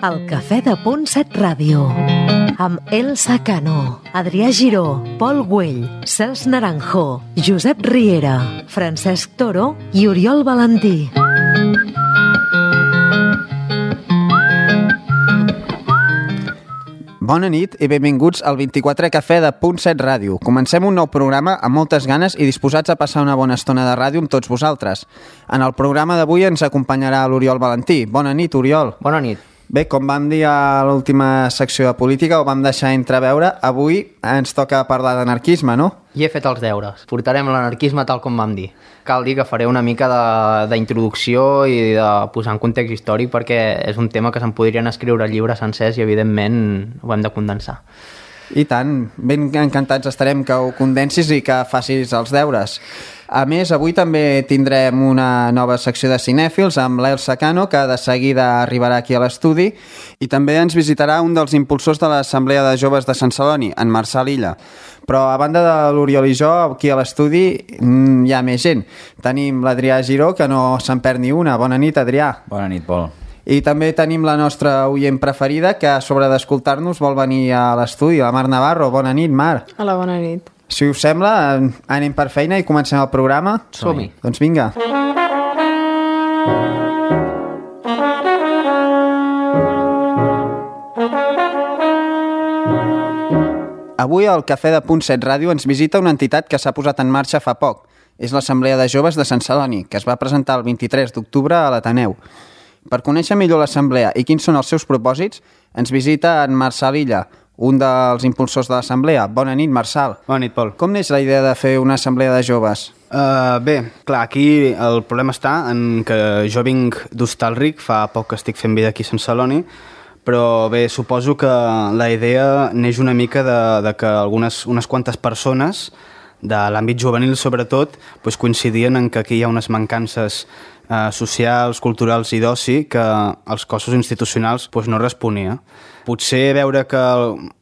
El Cafè de Punt 7 Ràdio, amb Elsa Cano, Adrià Giró, Pol Güell, Cels Naranjo, Josep Riera, Francesc Toro i Oriol Valentí. Bona nit i benvinguts al 24è Cafè de Punt 7 Ràdio. Comencem un nou programa amb moltes ganes i disposats a passar una bona estona de ràdio amb tots vosaltres. En el programa d'avui ens acompanyarà l'Oriol Valentí. Bona nit, Oriol. Bona nit. Bé, com vam dir a l'última secció de política, ho vam deixar entreveure, avui ens toca parlar d'anarquisme, no? I he fet els deures. Portarem l'anarquisme tal com vam dir. Cal dir que faré una mica d'introducció i de posar en context històric perquè és un tema que se'n podrien escriure llibres sencers i evidentment ho hem de condensar. I tant, ben encantats estarem que ho condensis i que facis els deures. A més, avui també tindrem una nova secció de cinèfils amb l'Elsa Cano, que de seguida arribarà aquí a l'estudi, i també ens visitarà un dels impulsors de l'Assemblea de Joves de Sant Celoni, en Marçal Illa. Però a banda de l'Oriol i jo, aquí a l'estudi hi ha més gent. Tenim l'Adrià Giró, que no se'n perd ni una. Bona nit, Adrià. Bona nit, Pol. I també tenim la nostra oient preferida, que a sobre d'escoltar-nos vol venir a l'estudi, la Mar Navarro. Bona nit, Mar. Hola, bona nit. Si us sembla, anem per feina i comencem el programa? Som-hi. Doncs vinga. Avui al Cafè de Punt 7 Ràdio ens visita una entitat que s'ha posat en marxa fa poc. És l'Assemblea de Joves de Sant Celoni, que es va presentar el 23 d'octubre a l'Ateneu. Per conèixer millor l'Assemblea i quins són els seus propòsits, ens visita en Marçal Illa, un dels impulsors de l'Assemblea. Bona nit, Marçal. Bona nit, Pol. Com neix la idea de fer una assemblea de joves? Bé, clar, aquí el problema està en que jo vinc d'Hostalric, fa poc que estic fent vida aquí a Sant Celoni, però bé, suposo que la idea neix una mica de que unes quantes persones de l'àmbit juvenil, sobretot, doncs coincidien en que aquí hi ha unes mancances socials, culturals i d'oci que els cossos institucionals doncs no responia. Potser veure que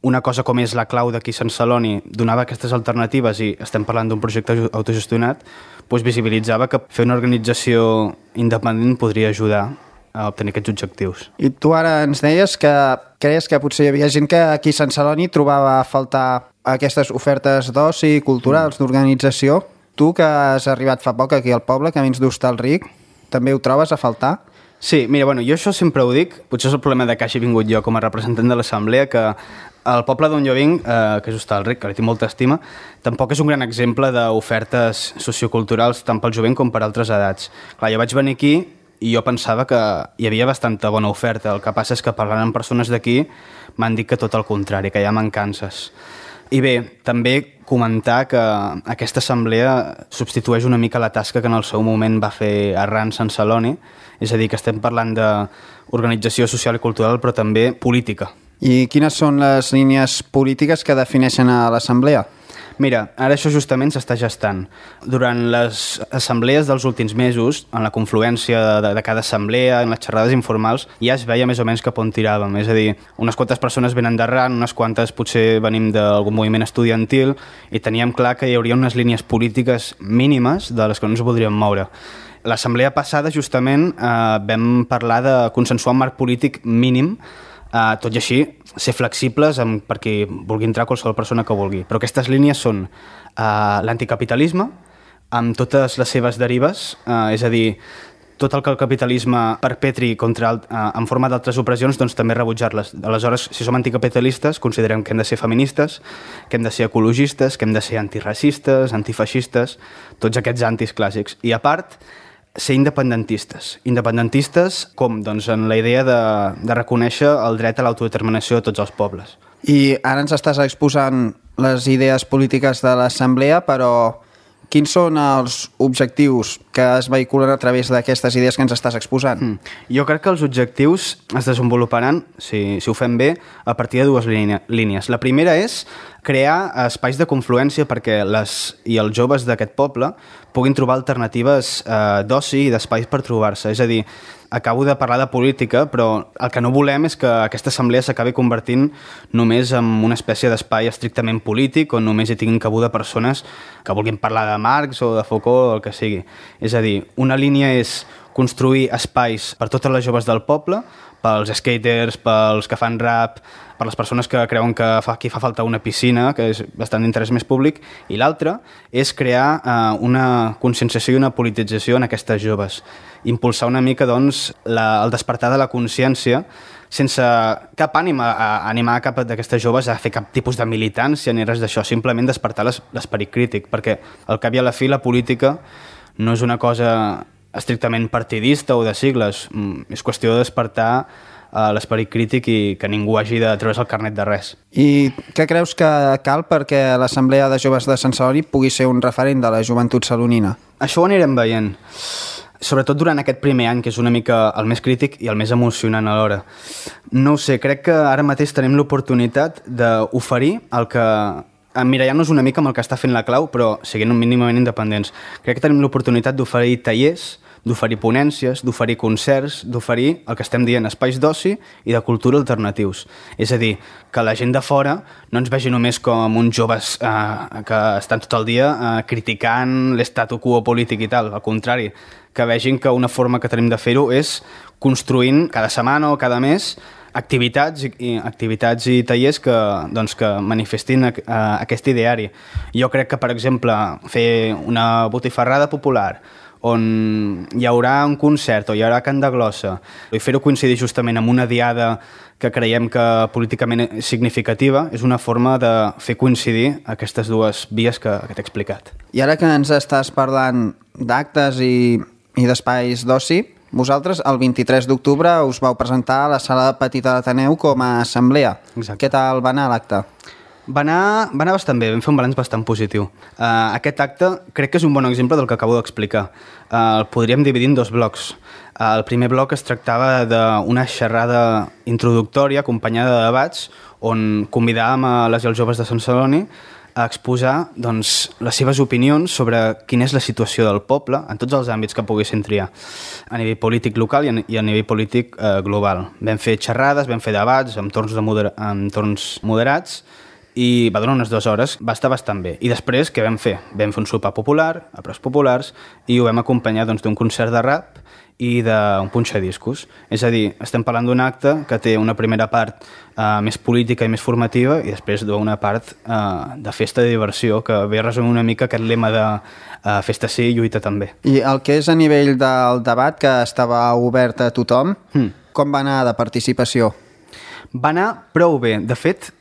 una cosa com és la clau d'aquí a Sant Celoni donava aquestes alternatives i estem parlant d'un projecte autogestionat, doncs visibilitzava que fer una organització independent podria ajudar a obtenir aquests objectius. I tu ara ens deies que creies que potser hi havia gent que aquí a Sant Celoni trobava a faltar aquestes ofertes d'oci culturals, d'organització. Tu, que has arribat fa poc aquí al poble, que vens d'Hostalric, també ho trobes a faltar? Sí, mira, jo això sempre ho dic, potser és el problema de que hagi vingut jo com a representant de l'Assemblea, que el poble d'on jo vinc, que és Hostalric, que li tinc molta estima, tampoc és un gran exemple d'ofertes socioculturals tant pel jovent com per altres edats. Clar, jo vaig venir aquí i jo pensava que hi havia bastanta bona oferta, el que passa és que parlant amb persones d'aquí m'han dit que tot el contrari, que hi ha mancances. I bé, també comentar que aquesta assemblea substitueix una mica la tasca que en el seu moment va fer Arran Sant Celoni, és a dir, que estem parlant d'organització social i cultural, però també política. I quines són les línies polítiques que defineixen a l'assemblea? Mira, ara això justament s'està gestant. Durant les assemblees dels últims mesos, en la confluència de cada assemblea, en les xerrades informals, ja es veia més o menys cap on tiràvem. És a dir, unes quantes persones venen d'arran, unes quantes potser venim d'algun moviment estudiantil i teníem clar que hi hauria unes línies polítiques mínimes de les que no ens voldríem moure. L'assemblea passada, justament, vam parlar de consensuar un marc polític mínim, tot i així ser flexibles per qui vulgui entrar qualsevol persona que vulgui. Però aquestes línies són l'anticapitalisme, amb totes les seves derives, és a dir, tot el que el capitalisme perpetri en forma d'altres opressions, doncs també rebutjar-les. Aleshores, si som anticapitalistes, considerem que hem de ser feministes, que hem de ser ecologistes, que hem de ser antiracistes, antifeixistes, tots aquests antis clàssics. I a part, ser independentistes. Independentistes com? Doncs en la idea de reconèixer el dret a l'autodeterminació de tots els pobles. I ara ens estàs exposant les idees polítiques de l'Assemblea, però quins són els objectius que es vehiculen a través d'aquestes idees que ens estàs exposant? Jo crec que els objectius es desenvoluparan, si ho fem bé, a partir de dues línies. La primera és crear espais de confluència perquè els joves d'aquest poble puguin trobar alternatives d'oci i d'espais per trobar-se. És a dir, acabo de parlar de política, però el que no volem és que aquesta assemblea s'acabi convertint només en una espècie d'espai estrictament polític on només hi tinguin cabuda persones que vulguin parlar de Marx o de Foucault o el que sigui. És a dir, una línia és construir espais per totes les joves del poble, pels skaters, pels que fan rap, per les persones que creuen que aquí fa falta una piscina, que és bastant d'interès més públic, i l'altre és crear una conscienciació i una politització en aquestes joves. Impulsar una mica doncs, el despertar de la consciència sense cap ànim a animar cap d'aquestes joves a fer cap tipus de militància ni res d'això, simplement despertar l'esperit crític, perquè al cap i a la fi la política no és una cosa estrictament partidista o de sigles, és qüestió de despertar l'esperit crític i que ningú hagi de treure's el carnet de res. I què creus que cal perquè l'Assemblea de Joves de Sant Celoni pugui ser un referent de la joventut salonina? Això ho anirem veient, sobretot durant aquest primer any, que és una mica el més crític i el més emocionant alhora. No ho sé, crec que ara mateix tenim l'oportunitat d'oferir el que emmirallant-nos una mica amb el que està fent la Clau, però siguent mínimament independents. Crec que tenim l'oportunitat d'oferir tallers, d'oferir ponències, d'oferir concerts, d'oferir el que estem dient espais d'oci i de cultura alternatius. És a dir, que la gent de fora no ens vegi només com uns joves que estan tot el dia criticant l'estatu quo polític i tal. Al contrari, que vegin que una forma que tenim de fer-ho és construint cada setmana o cada mes activitats i tallers que manifestin aquest ideari. Jo crec que, per exemple, fer una botifarrada popular on hi haurà un concert o hi haurà cant de glossa i fer-ho coincidir justament amb una diada que creiem que políticament és significativa és una forma de fer coincidir aquestes dues vies que t'he explicat. I ara que ens estàs parlant d'actes i d'espais d'oci, vosaltres el 23 d'octubre us vau presentar a la sala petita d'Ateneu com a assemblea. Exacte. Què tal va anar l'acte? Va anar bastant bé, vam fer un balanç bastant positiu. Aquest acte crec que és un bon exemple del que acabo d'explicar. El podríem dividir en dos blocs. El primer bloc es tractava d'una xerrada introductòria acompanyada de debats on convidàvem a les i els joves de Sant Celoni a exposar les seves opinions sobre quina és la situació del poble en tots els àmbits que poguessin triar, a nivell polític local i a nivell polític global. Vam fer xerrades, vam fer debats amb torns moderats i va durar unes 2 hores, va estar bastant bé. I després què vam fer? Vam fer un sopar popular, a preus populars, i ho vam acompanyar d'un concert de rap i d'un punxadiscos. És a dir, estem parlant d'un acte que té una primera part més política i més formativa i després d'una part de festa i diversió, que ve a resumir una mica aquest lema de festa sí i lluita també. I el que és a nivell del debat, que estava obert a tothom, com va anar de participació? Va anar prou bé. De fet,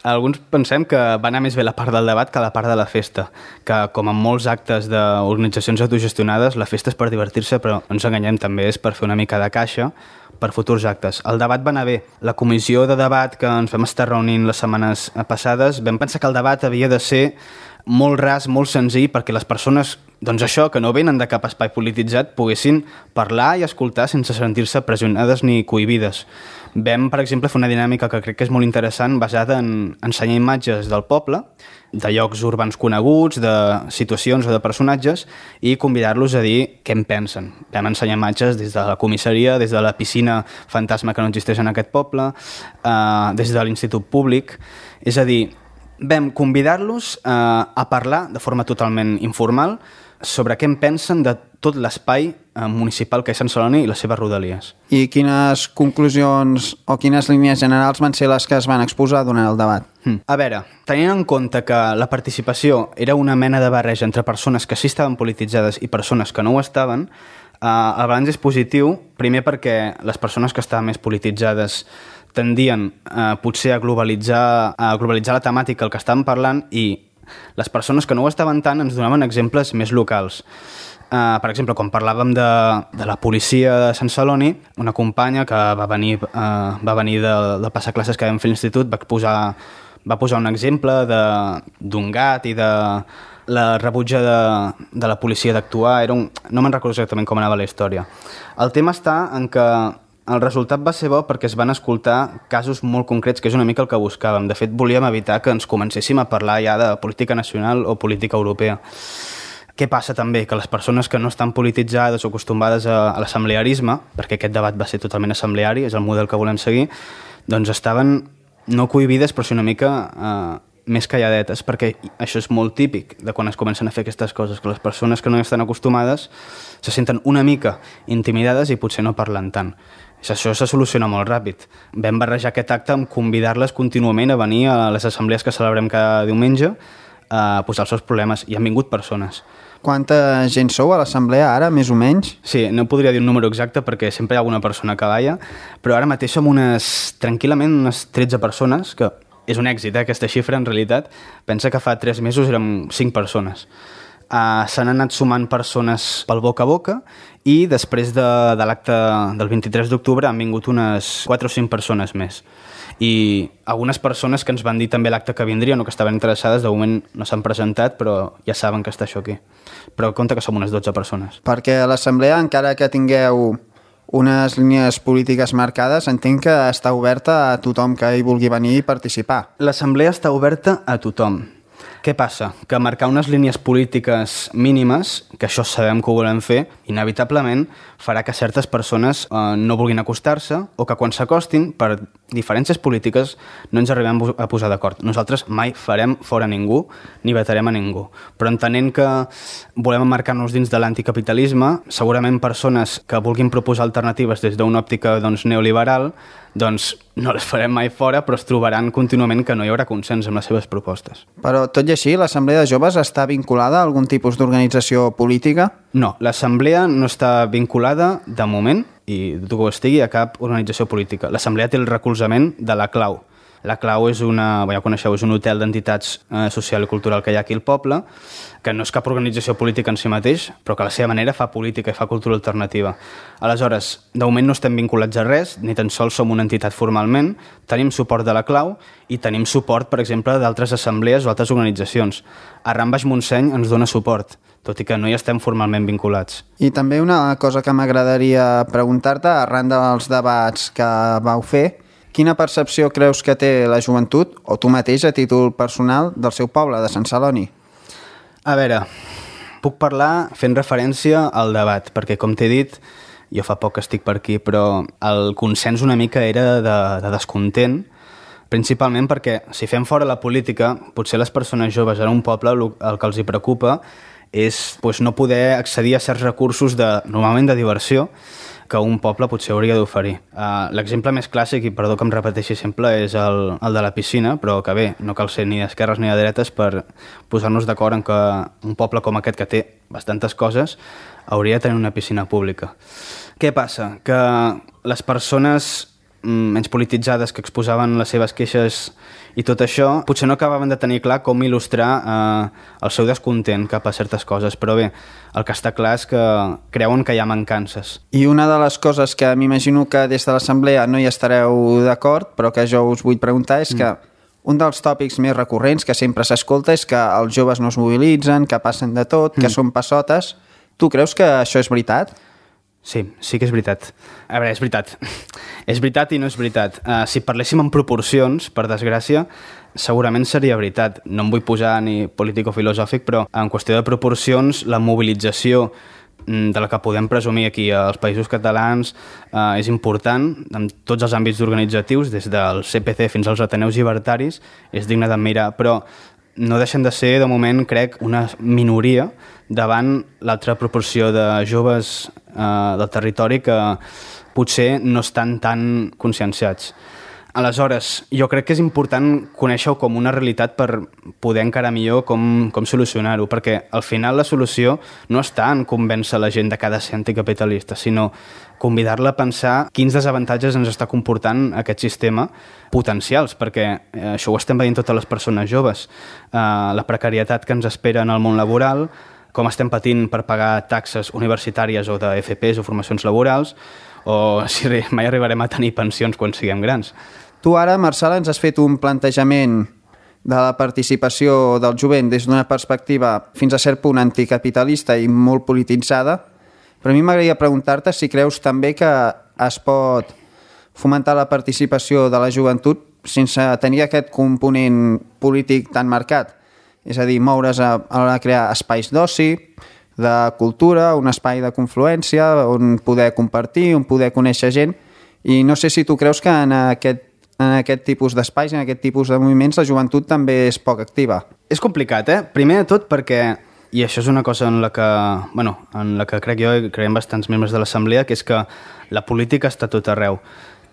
alguns pensem que va anar més bé la part del debat que la part de la festa, que com en molts actes d'organitzacions autogestionades, la festa és per divertir-se, però no ens enganyem, també és per fer una mica de caixa per futurs actes. El debat va anar bé. La comissió de debat que ens vam estar reunint les setmanes passades, vam pensar que el debat havia de ser molt ras, molt senzill, perquè les persones, que no venen de cap espai polititzat, poguessin parlar i escoltar sense sentir-se pressionades ni cohibides. Vam, per exemple, fer una dinàmica que crec que és molt interessant, basada en ensenyar imatges del poble, de llocs urbans coneguts, de situacions o de personatges, i convidar-los a dir què en pensen. Vam ensenyar imatges des de la comissaria, des de la piscina fantasma que no existeix en aquest poble, des de l'Institut Públic. És a dir, vam convidar-los a parlar de forma totalment informal sobre què en pensen de tot l'espai municipal que és Sant Celoni i les seves rodalies. I quines conclusions o quines línies generals van ser les que es van exposar durant el debat? A veure, tenint en compte que la participació era una mena de barreja entre persones que sí estaven polititzades i persones que no ho estaven, el balanç és positiu, primer perquè les persones que estaven més polititzades tendien potser a globalitzar la temàtica, el que estàvem parlant, i les persones que no ho estaven tant ens donaven exemples més locals. Per exemple, quan parlàvem de la policia de Sant Celoni, una companya que va venir de passar classes que vam fer a l'institut va posar un exemple d'un gat i de la rebutja de la policia d'actuar. No me'n recordo exactament com anava la història. El tema està en que el resultat va ser bo perquè es van escoltar casos molt concrets, que és una mica el que buscàvem. De fet, volíem evitar que ens comencéssim a parlar ja de política nacional o política europea. Què passa també? Que les persones que no estan polititzades o acostumades a l'assemblearisme, perquè aquest debat va ser totalment assembleari, és el model que volem seguir, doncs estaven no cohibides, però sí una mica més calladetes, perquè això és molt típic de quan es comencen a fer aquestes coses, que les persones que no estan acostumades se senten una mica intimidades i potser no parlen tant. Això se soluciona molt ràpid. Vam barrejar aquest acte amb convidar-les contínuament a venir a les assemblees que celebrem cada diumenge a posar els seus problemes, i han vingut persones. Quanta gent sou a l'assemblea ara, més o menys? Sí, no podria dir un número exacte perquè sempre hi ha alguna persona que balla, però ara mateix som tranquil·lament unes 13 persones, que és un èxit, aquesta xifra, en realitat. Pensa que fa 3 mesos érem 5 persones. S'han anat sumant persones pel boca a boca i després de l'acte del 23 d'octubre han vingut unes 4 o 5 persones més. I algunes persones que ens van dir també l'acte que vindrien o que estaven interessades, de moment no s'han presentat, però ja saben que està això aquí. Però compte que som unes 12 persones. Perquè a l'assemblea, encara que tingueu unes línies polítiques marcades, entenc que està oberta a tothom que hi vulgui venir i participar. L'assemblea està oberta a tothom. Què passa? Que marcar unes línies polítiques mínimes, que això sabem que ho volem fer, inevitablement farà que certes persones no vulguin acostar-se o que quan s'acostin, per diferències polítiques, no ens arribem a posar d'acord. Nosaltres mai farem fora ningú ni vetarem a ningú. Però entenent que volem emmarcar-nos dins de l'anticapitalisme, segurament persones que vulguin proposar alternatives des d'una òptica neoliberal, doncs no les farem mai fora, però es trobaran contínuament que no hi haurà consens amb les seves propostes. Però tot i així, l'Assemblea de Joves està vinculada a algun tipus d'organització política? No, l'Assemblea no està vinculada, de moment, i dubto que ho estigui, a cap organització política. L'Assemblea té el recolzament de la Clau. La Clau és ja coneixeu, és un hotel d'entitats social i cultural que hi ha aquí al poble, que no és cap organització política en si mateix, però que a la seva manera fa política i fa cultura alternativa. Aleshores, de moment no estem vinculats a res, ni tan sols som una entitat formalment, tenim suport de la Clau i tenim suport, per exemple, d'altres assemblees o altres organitzacions. Arran Baix Montseny ens dona suport, tot i que no hi estem formalment vinculats. I també una cosa que m'agradaria preguntar-te, arran dels debats que vau fer, quina percepció creus que té la joventut, o tu mateix a títol personal, del seu poble, de Sant Celoni? A veure, puc parlar fent referència al debat, perquè com t'he dit, jo fa poc que estic per aquí, però el consens una mica era de descontent, principalment perquè si fem fora la política, potser les persones joves en un poble el que els hi preocupa és no poder accedir a certs recursos normalment de diversió que un poble potser hauria d'oferir. L'exemple més clàssic, i perdó que em repeteixi sempre, és el de la piscina, però que bé, no cal ser ni d'esquerres ni de dretes per posar-nos d'acord en que un poble com aquest, que té bastantes coses, hauria de tenir una piscina pública. Què passa? Que les persones menys polititzades que exposaven les seves queixes i tot això, potser no acabaven de tenir clar com il·lustrar el seu descontent cap a certes coses, però bé, el que està clar és que creuen que hi ha mancances. I una de les coses que m'imagino que des de l'Assemblea no hi estareu d'acord, però que jo us vull preguntar és que un dels tòpics més recurrents que sempre s'escolta és que els joves no es mobilitzen, que passen de tot, que són passotes. Tu creus que això és veritat? Sí que és veritat. A veure, és veritat. És veritat i no és veritat. Si parléssim en proporcions, per desgràcia, segurament seria veritat. No em vull posar ni político-filosòfic, però en qüestió de proporcions, la mobilització de la que podem presumir aquí als Països Catalans és important en tots els àmbits organitzatius, des del CPC fins als Ateneus Llibertaris, és digne d'admirar, però no deixen de ser, de moment, crec, una minoria davant l'altra proporció de joves del territori que potser no estan tan conscienciats. Aleshores, jo crec que és important conèixer-ho com una realitat per poder encarar millor com solucionar-ho, perquè al final la solució no està en convèncer la gent de cada ser anticapitalista, sinó convidar-la a pensar quins desavantatges ens està comportant aquest sistema potencials, perquè això ho estem veient totes les persones joves. La precarietat que ens espera en el món laboral, com estem patint per pagar taxes universitàries o de FPs o formacions laborals, o si mai arribarem a tenir pensions quan siguem grans. Tu ara, Marçal, ens has fet un plantejament de la participació del jovent des d'una perspectiva fins a cert punt anticapitalista i molt polititzada, però a mi m'agradaria preguntar-te si creus també que es pot fomentar la participació de la joventut sense tenir aquest component polític tan marcat. És a dir, moure's a l'hora de crear espais d'oci, de cultura, un espai de confluència on poder compartir, on poder conèixer gent. I no sé si tu creus que en en aquest tipus d'espais, en aquest tipus de moviments, la joventut també és poc activa. És complicat, Primer de tot perquè, i això és una cosa en la que crec jo i creiem bastants membres de l'Assemblea, que és que la política està tot arreu.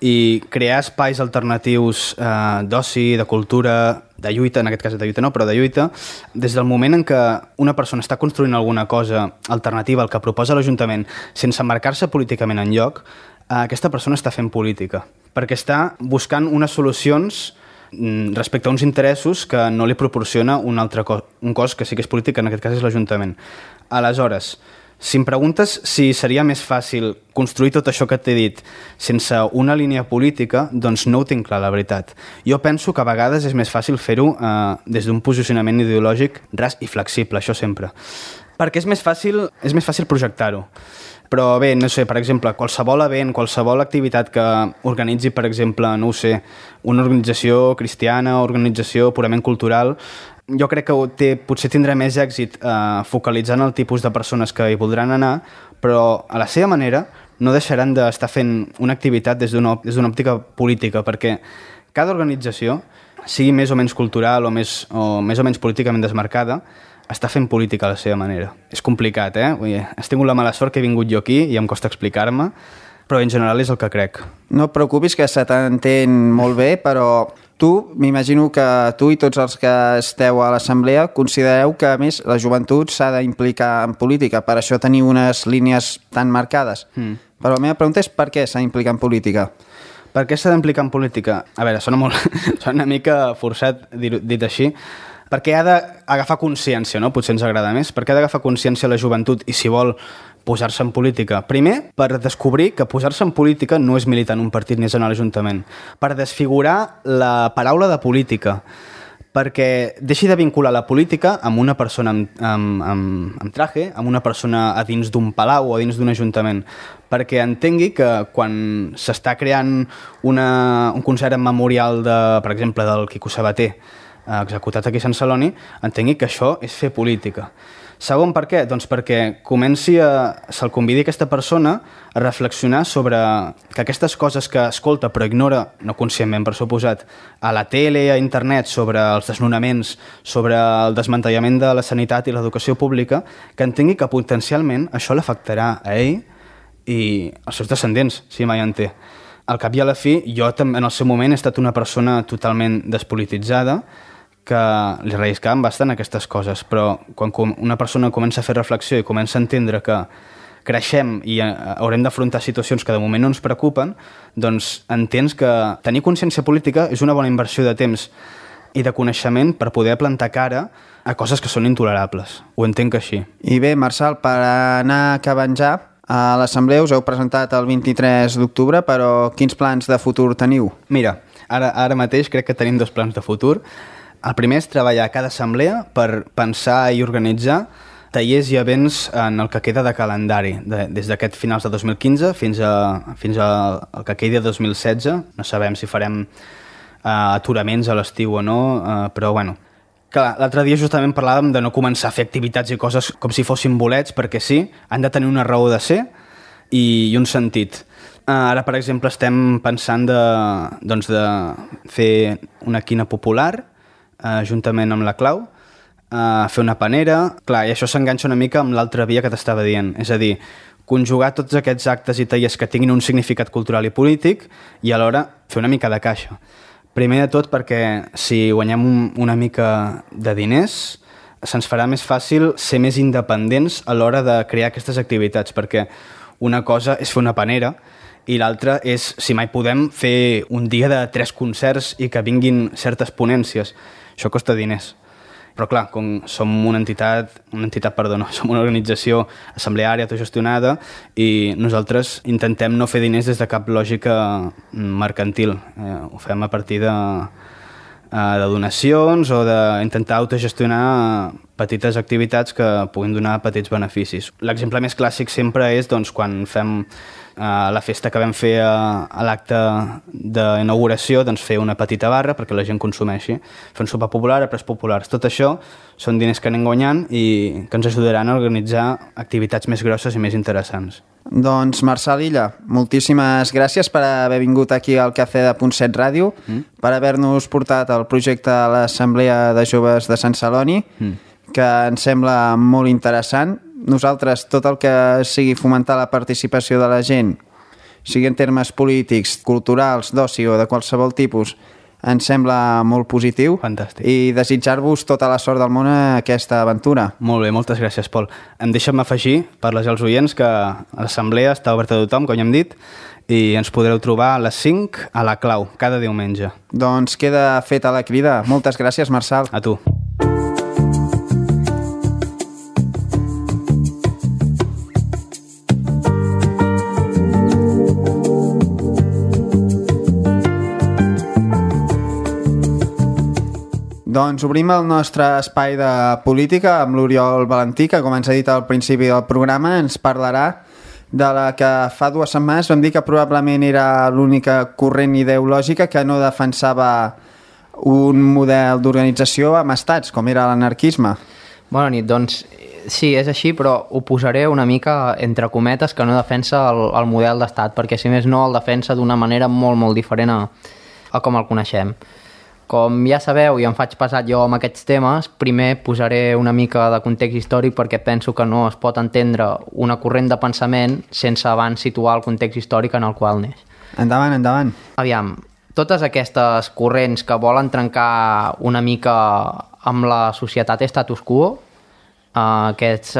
I crear espais alternatius d'oci, de cultura, de lluita, en aquest cas de lluita no, però de lluita, des del moment en què una persona està construint alguna cosa alternativa al que proposa l'Ajuntament sense marcar-se políticament en lloc, aquesta persona està fent política, perquè està buscant unes solucions respecte a uns interessos que no li proporciona un cos que sí que és polític, en aquest cas és l'Ajuntament. Aleshores, si em preguntes si seria més fàcil construir tot això que t'he dit sense una línia política, doncs no ho tinc clar, la veritat. Jo penso que a vegades és més fàcil fer-ho des d'un posicionament ideològic ras i flexible, això sempre. Perquè és més fàcil projectar-ho. Però bé, no sé, per exemple, qualsevol event, qualsevol activitat que organitzi, per exemple, no ho sé, una organització cristiana, organització purament cultural, jo crec que potser tindrà més èxit focalitzant el tipus de persones que hi voldran anar, però a la seva manera no deixaran d'estar fent una activitat des d'una òptica política, perquè cada organització, sigui més o menys cultural o més o menys políticament desmarcada, està fent política a la seva manera. És complicat, Vull dir, has tingut la mala sort que he vingut jo aquí i em costa explicar-me, però en general és el que crec. No et preocupis, que se t'entén molt bé, però tu, m'imagino que tu i tots els que esteu a l'Assemblea considereu que, a més, la joventut s'ha d'implicar en política, per això teniu unes línies tan marcades. Però la meva pregunta és per què s'ha d'implicar en política? Per què s'ha d'implicar en política? A veure, sona una mica forçat dit així, perquè ha d'agafar consciència, no? Potser ens agrada més. Per què ha d'agafar consciència la joventut i si vol posar-se en política? Primer, per descobrir que posar-se en política no és militar en un partit ni és anar a l'Ajuntament. Per desfigurar la paraula de política. Perquè deixi de vincular la política amb una persona amb traje, amb una persona a dins d'un palau o a dins d'un ajuntament. Perquè entengui que quan s'està creant un concert memorial, per exemple, del Quico Sabater, executat aquí a Sant Celoni, entengui que això és fer política. Segon, per què? Doncs perquè se'l convidi aquesta persona a reflexionar sobre que aquestes coses que escolta però ignora, no conscientment per suposat, a la tele, a internet, sobre els desnonaments, sobre el desmantellament de la sanitat i l'educació pública, que entengui que potencialment això l'afectarà a ell i als seus descendents, si mai en té. Al cap i a la fi, jo també en el seu moment he estat una persona totalment despolititzada, que li relliscaven bastant aquestes coses, però quan una persona comença a fer reflexió i comença a entendre que creixem i haurem d'afrontar situacions que de moment no ens preocupen, doncs entens que tenir consciència política és una bona inversió de temps i de coneixement per poder plantar cara a coses que són intolerables. Ho entenc així. I bé, Marçal, per anar acabant ja, a l'Assemblea us heu presentat el 23 d'octubre, però quins plans de futur teniu? Mira, ara mateix crec que tenim 2 plans de futur. El primer és treballar a cada assemblea per pensar i organitzar tallers i events en el que queda de calendari, des d'aquest finals de 2015 fins al que quedi de 2016. No sabem si farem aturaments a l'estiu o no, però bueno. Clar, l'altre dia justament parlàvem de no començar a fer activitats i coses com si fossin bolets, perquè sí, han de tenir una raó de ser i un sentit. Ara, per exemple, estem pensant de fer una quina popular, juntament amb la Clau, fer una panera. Clar, i això s'enganxa una mica amb l'altra via que t'estava dient, és a dir, conjugar tots aquests actes i tallers que tinguin un significat cultural i polític i alhora fer una mica de caixa. Primer de tot perquè si guanyem una mica de diners se'ns farà més fàcil ser més independents a l'hora de crear aquestes activitats, perquè una cosa és fer una panera i l'altra és, si mai podem, fer un dia de 3 concerts i que vinguin certes ponències. Això costa diners. Però clar, com som som una organització assembleària autogestionada i nosaltres intentem no fer diners des de cap lògica mercantil. Ho fem a partir de donacions o d'intentar autogestionar petites activitats que puguin donar petits beneficis. L'exemple més clàssic sempre és doncs, quan fem la festa que vam fer a l'acte d'inauguració, doncs fer una petita barra perquè la gent consumeixi, fer un sopar popular a preus populars. Tot això són diners que anem guanyant i que ens ajudaran a organitzar activitats més grosses i més interessants. Doncs Marçal Illa, moltíssimes gràcies per haver vingut aquí al Cafè de .7 Ràdio, per haver-nos portat el projecte a l'Assemblea de Joves de Sant Celoni, que ens sembla molt interessant. Nosaltres, tot el que sigui fomentar la participació de la gent, sigui en termes polítics, culturals, d'oci o de qualsevol tipus, ens sembla molt positiu. Fantàstic. I desitjar-vos tota la sort del món a aquesta aventura. Molt bé, moltes gràcies, Pol. Deixa'm afegir, per les als oients, que l'assemblea està oberta a tothom, com ja hem dit, i ens podreu trobar a les 5 a la Clau, cada diumenge. Doncs queda feta la crida. Moltes gràcies, Marçal. A tu. Doncs obrim el nostre espai de política amb l'Oriol Valentí, que, com ens ha dit al principi del programa, ens parlarà de la que fa 2 setmanes vam dir que probablement era l'única corrent ideològica que no defensava un model d'organització amb estats, com era l'anarquisme. Bona nit, doncs sí, és així, però ho posaré una mica entre cometes, que no defensa el model d'estat, perquè si més no el defensa d'una manera molt, molt diferent a com el coneixem. Com ja sabeu, i em faig pesat jo amb aquests temes, primer posaré una mica de context històric perquè penso que no es pot entendre una corrent de pensament sense abans situar el context històric en el qual neix. Endavant, endavant. Aviam, totes aquestes corrents que volen trencar una mica amb la societat status quo, aquests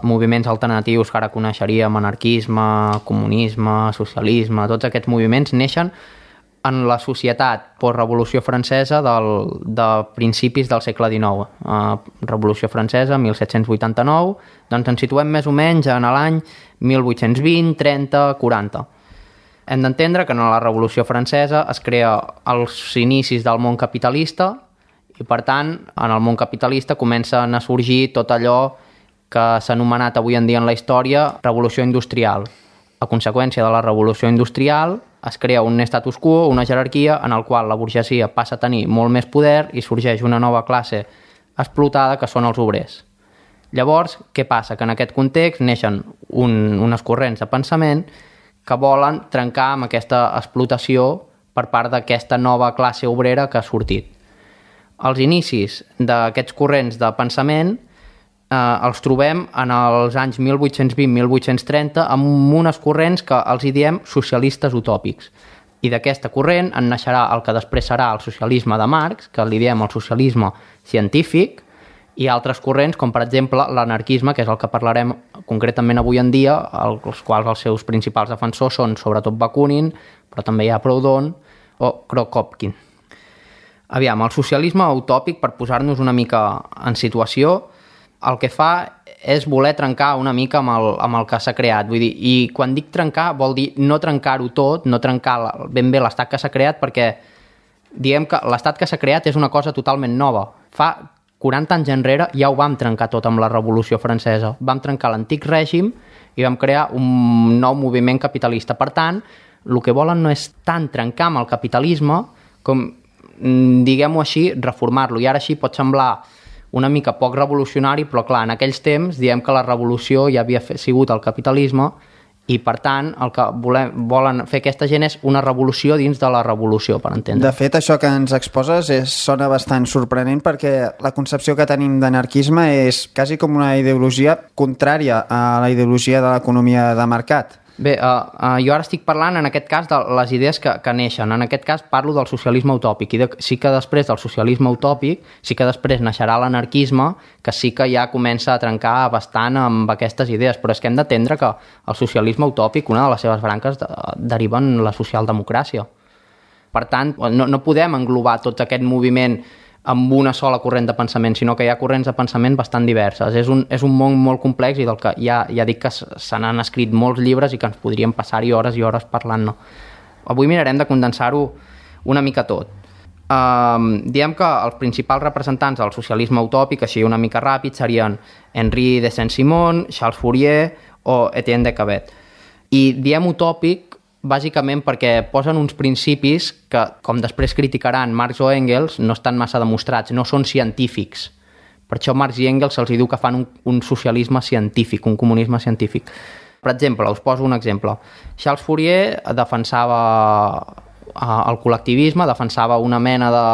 moviments alternatius que ara coneixeríem, anarquisme, comunisme, socialisme, tots aquests moviments neixen en la societat postrevolució francesa de principis del segle XIX. Revolució francesa, 1789, doncs ens situem més o menys en l'any 1820, 30, 40. Hem d'entendre que en la Revolució Francesa es crea els inicis del món capitalista i, per tant, en el món capitalista comencen a sorgir tot allò que s'ha anomenat avui en dia en la història revolució industrial. A conseqüència de la revolució industrial es crea un status quo, una jerarquia en el qual la burgesia passa a tenir molt més poder i sorgeix una nova classe explotada que són els obrers. Llavors, què passa? Que en aquest context neixen unes corrents de pensament que volen trencar amb aquesta explotació per part d'aquesta nova classe obrera que ha sortit. Els inicis d'aquests corrents de pensament els trobem en els anys 1820-1830 amb unes corrents que els hi diem socialistes utòpics. I d'aquesta corrent en naixerà el que després serà el socialisme de Marx, que li diem el socialisme científic, i altres corrents, com per exemple l'anarquisme, que és el que parlarem concretament avui en dia, els quals els seus principals defensors són sobretot Bakunin, però també hi ha Proudhon o Kropotkin. Aviam, el socialisme utòpic, per posar-nos una mica en situació, el que fa és voler trencar una mica amb el que s'ha creat. Vull dir, i quan dic trencar vol dir no trencar-ho tot, no trencar ben bé l'estat que s'ha creat, perquè diguem que l'estat que s'ha creat és una cosa totalment nova. Fa 40 anys enrere ja ho vam trencar tot amb la Revolució Francesa. Vam trencar l'antic règim i vam crear un nou moviment capitalista. Per tant, el que volen no és tant trencar amb el capitalisme com, diguem-ho així, reformar-lo. I ara així pot semblar una mica poc revolucionari, però clar, en aquells temps diem que la revolució ja havia sigut el capitalisme i, per tant, el que volen fer aquesta gent és una revolució dins de la revolució, per entendre. De fet, això que ens exposes sona bastant sorprenent perquè la concepció que tenim d'anarquisme és quasi com una ideologia contrària a la ideologia de l'economia de mercat. Bé, jo ara estic parlant en aquest cas de les idees que neixen. En aquest cas parlo del socialisme utòpic i sí que després del socialisme utòpic sí que després naixerà l'anarquisme, que sí que ja comença a trencar bastant amb aquestes idees, però és que hem d'entendre que el socialisme utòpic, una de les seves branques deriva en la socialdemocràcia. Per tant, no podem englobar tot aquest moviment amb una sola corrent de pensament, sinó que hi ha corrents de pensament bastant diverses. És un món molt complex i del que ja dic que se n'han escrit molts llibres i que ens podríem passar-hi hores i hores parlant-ne. Avui mirarem de condensar-ho una mica tot. Diem que els principals representants del socialisme utòpic, així una mica ràpid, serien Henri de Saint-Simon, Charles Fourier o Etienne de Cabet. I diem utòpic bàsicament perquè posen uns principis que, com després criticaran Marx o Engels, no estan massa demostrats, no són científics. Per això Marx i Engels se'ls diu que fan un socialisme científic, un comunisme científic. Per exemple, us poso un exemple. Charles Fourier defensava el col·lectivisme, defensava una mena de,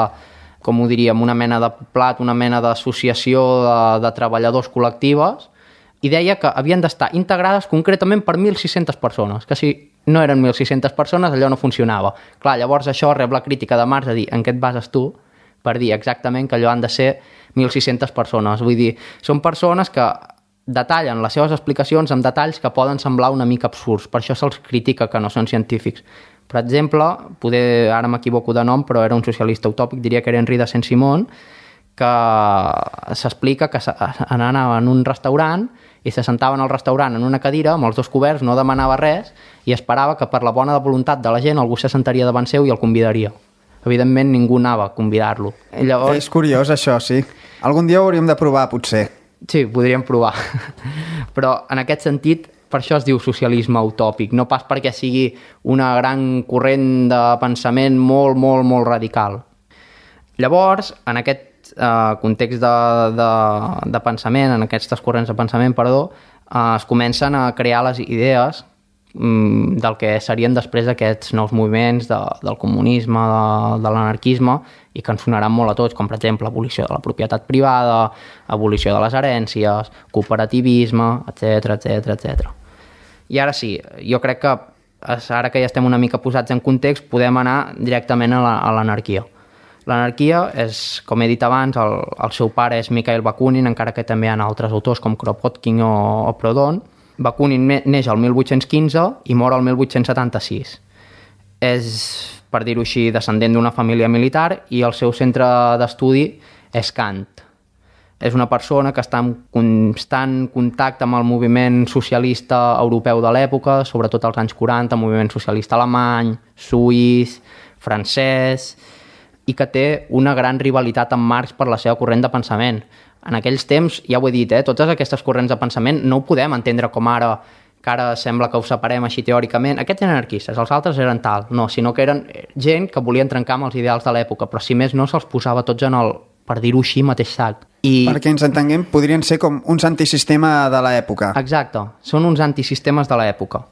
com ho diríem, una mena de plat, una mena d'associació de treballadors col·lectives, i deia que havien d'estar integrades concretament per 1.600 persones, que si no eren 1.600 persones allò no funcionava. Clar, llavors això rep la crítica de Marx a dir en què et bases tu per dir exactament que allò han de ser 1.600 persones. Vull dir, són persones que detallen les seves explicacions amb detalls que poden semblar una mica absurds, per això se'ls critica que no són científics. Per exemple, ara m'equivoco de nom, però era un socialista utòpic, diria que era Henri de Saint-Simon, que s'explica que anava en un restaurant i se sentaven al restaurant en una cadira amb els dos coberts, no demanava res i esperava que per la bona voluntat de la gent algú se sentaria davant seu i el convidaria. Evidentment ningú anava a convidar-lo. Llavors... És curiós això, sí. Algun dia ho hauríem de provar, potser. Sí, podríem provar. Però en aquest sentit, per això es diu socialisme utòpic, no pas perquè sigui una gran corrent de pensament molt, molt, molt radical. Llavors, en aquest context de pensament, en aquestes corrents de pensament, es comencen a crear les idees del que serien després aquests nous moviments del comunisme, de l'anarquisme, i que ens sonaran molt a tots, com per exemple abolició de la propietat privada, abolició de les herències, cooperativisme, etc. I ara sí, jo crec que ara que ja estem una mica posats en context, podem anar directament a l'anarquia. L'anarquia és, com he dit abans, el seu pare és Mikhail Bakunin, encara que també hi ha altres autors com Kropotkin o Proudhon. Bakunin neix el 1815 i mor el 1876. És, per dir-ho així, descendent d'una família militar i el seu centre d'estudi és Kant. És una persona que està en constant contacte amb el moviment socialista europeu de l'època, sobretot als anys 40, moviment socialista alemany, suís, francès, i que té una gran rivalitat amb Marx per la seva corrent de pensament. En aquells temps, ja ho he dit, totes aquestes corrents de pensament no ho podem entendre com ara, que ara sembla que ho separem així teòricament. Aquests eren anarquistes, els altres eren tal. No, sinó que eren gent que volien trencar amb els ideals de l'època, però si més no se'ls posava tots en el, per dir-ho així, mateix sac. Perquè ens entenguem, podrien ser com uns antisistema de l'època. Exacte, són uns antisistemes de l'època.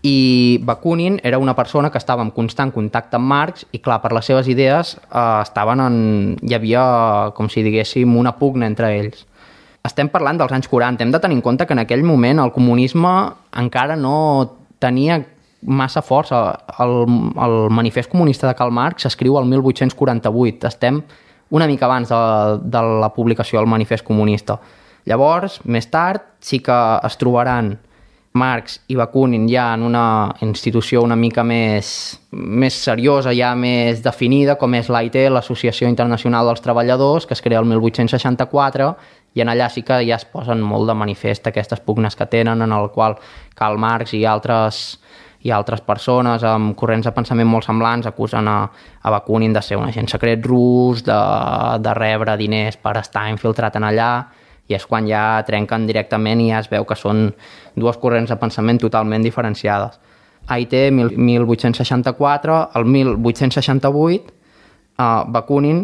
I Bakunin era una persona que estava en constant contacte amb Marx i, clar, per les seves idees hi havia, com si diguéssim, una pugna entre ells. Estem parlant dels anys 40. Hem de tenir en compte que en aquell moment el comunisme encara no tenia massa força. El manifest comunista de Karl Marx s'escriu el 1848. Estem una mica abans de la publicació del manifest comunista. Llavors, més tard, sí que es trobaran Marx i Bakunin ja en una institució una mica més seriosa, ja més definida, com és l'AIT, l'Associació Internacional dels Treballadors, que es crea el 1864, i en allà sí que ja es posen molt de manifest aquestes pugnes que tenen, en el qual Karl Marx i altres persones amb corrents de pensament molt semblants acusen a Bakunin de ser un agent secret rus, de rebre diners per estar infiltrat en allà, i és quan ja trenquen directament i ja es veu que són dues corrents de pensament totalment diferenciades. AIT, 1864, el 1868, Bakunin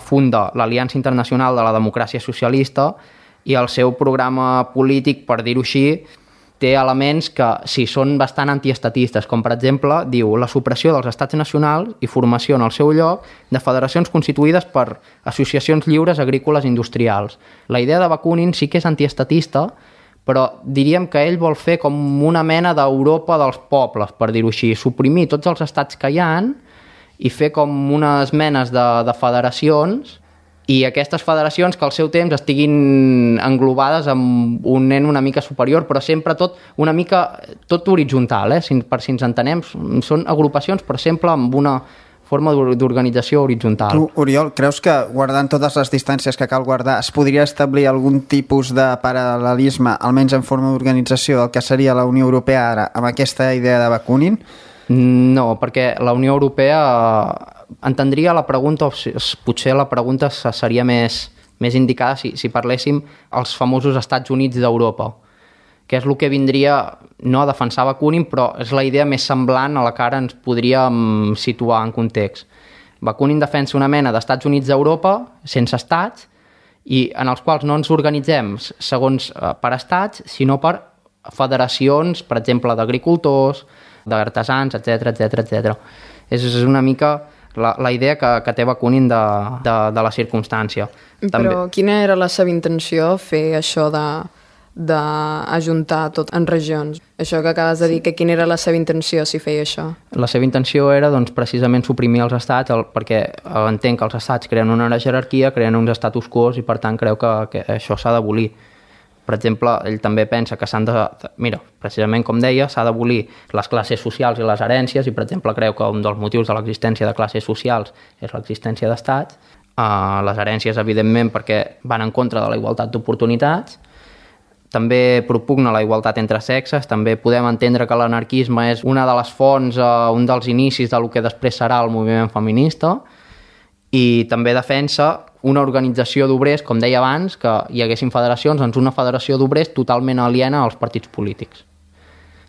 funda l'Aliança Internacional de la Democràcia Socialista i el seu programa polític, per dir-ho així, té elements que sí, són bastant antiestatistes, com per exemple, diu la supressió dels estats nacionals i formació en el seu lloc de federacions constituïdes per associacions lliures agrícoles industrials. La idea de Bakunin sí que és antiestatista, però diríem que ell vol fer com una mena d'Europa dels pobles, per dir-ho així, suprimir tots els estats que hi ha i fer com unes menes de federacions, i aquestes federacions que al seu temps estiguin englobades amb un nen una mica superior, però sempre tot horitzontal, per si ens entenem, són agrupacions però sempre amb una forma d'organització horitzontal. Tu, Oriol, creus que guardant totes les distàncies que cal guardar es podria establir algun tipus de paral·lelisme, almenys en forma d'organització, del que seria la Unió Europea ara, amb aquesta idea de Bakunin? No, perquè la Unió Europea entendria la pregunta, o potser la pregunta seria més indicada si parléssim els famosos Estats Units d'Europa, que és el que vindria no a defensar Bakunin, però és la idea més semblant a la que ara ens podríem situar en context. Bakunin defensa una mena d'Estats Units d'Europa, sense estats, i en els quals no ens organitzem segons per estats, sinó per federacions, per exemple, d'agricultors, d'artesans, etc. És una mica la idea que té Bakunin de la circumstància. Però quina era la seva intenció, fer això d'ajuntar tot en regions? Això que acabes de dir, que quina era la seva intenció si feia això? La seva intenció era doncs, precisament suprimir els estats, perquè entenc que els estats creen una jerarquia, creen uns status quo i per tant creu que això s'ha d'abolir. Per exemple, ell també pensa que mira, precisament com deia, s'ha d'abolir les classes socials i les herències i per exemple creu que un dels motius de l'existència de classes socials és l'existència d'estats, les herències evidentment perquè van en contra de la igualtat d'oportunitats. També propugna la igualtat entre sexes, també podem entendre que l'anarquisme és una de les fonts, un dels inicis del que després serà el moviment feminista, i també defensa una organització d'obrers, com deia abans, que hi haguessin federacions, doncs una federació d'obrers totalment aliena als partits polítics.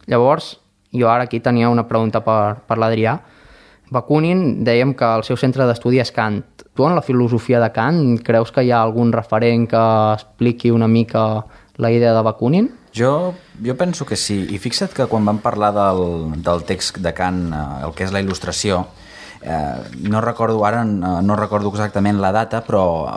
Llavors, jo ara aquí tenia una pregunta per l'Adrià. Bakunin, dèiem que el seu centre d'estudi és Kant. Tu en la filosofia de Kant creus que hi ha algun referent que expliqui una mica la idea de Bakunin? Jo penso que sí, i fixa't que quan vam parlar del text de Kant, el que és la il·lustració, no recordo exactament la data, però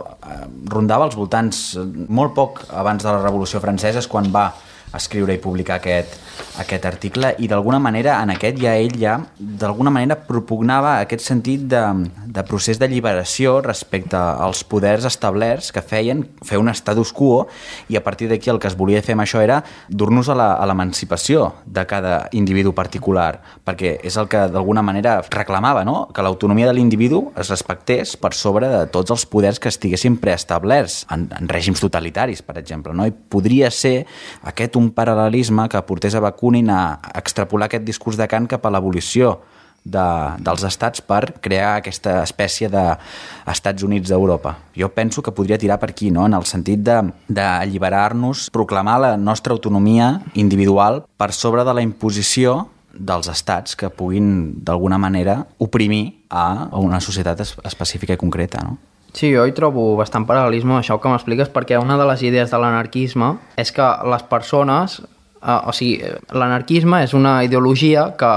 rondava als voltants molt poc abans de la Revolució Francesa, és quan va escriure i publicar aquest article, i d'alguna manera en aquest ell d'alguna manera propugnava aquest sentit de procés d'alliberació respecte als poders establerts que feien fer un status quo, i a partir d'aquí el que es volia fer amb això era dur-nos a l'emancipació de cada individu particular, perquè és el que d'alguna manera reclamava, no? Que l'autonomia de l'individu es respectés per sobre de tots els poders que estiguessin preestablerts en règims totalitaris, per exemple, no? I podria ser aquest un paral·lelisme que portés a Bakunin a extrapolar aquest discurs de Kant cap a l'abolició dels estats per crear aquesta espècie d'Estats Units d'Europa. Jo penso que podria tirar per aquí, no? En el sentit d'alliberar-nos, proclamar la nostra autonomia individual per sobre de la imposició dels estats que puguin d'alguna manera oprimir a una societat específica i concreta, no? Sí, jo hi trobo bastant paral·lelisme amb això que m'expliques, perquè una de les idees de l'anarquisme és que les persones, l'anarquisme és una ideologia que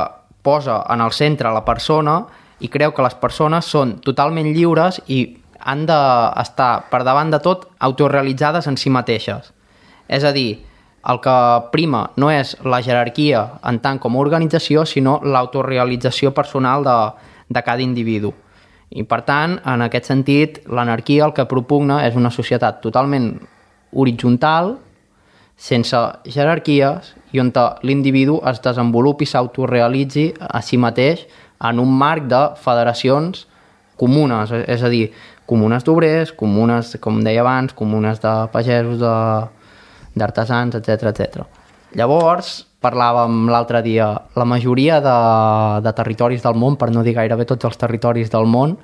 posa en el centre la persona i creu que les persones són totalment lliures i han d'estar per davant de tot autorealitzades en si mateixes. És a dir, el que prima no és la jerarquia en tant com a organització, sinó l'autorealització personal de cada individu. I per tant, en aquest sentit, l'anarquia el que propugna és una societat totalment horitzontal, sense jerarquies, i on l'individu es desenvolupi i s'autorealitzi a si mateix en un marc de federacions comunes, és a dir, comunes d'obrers, comunes, com deia abans, comunes de pagesos, d'artesans, etc. Llavors, parlàvem l'altre dia, la majoria de territoris del món, per no dir gairebé tots els territoris del món,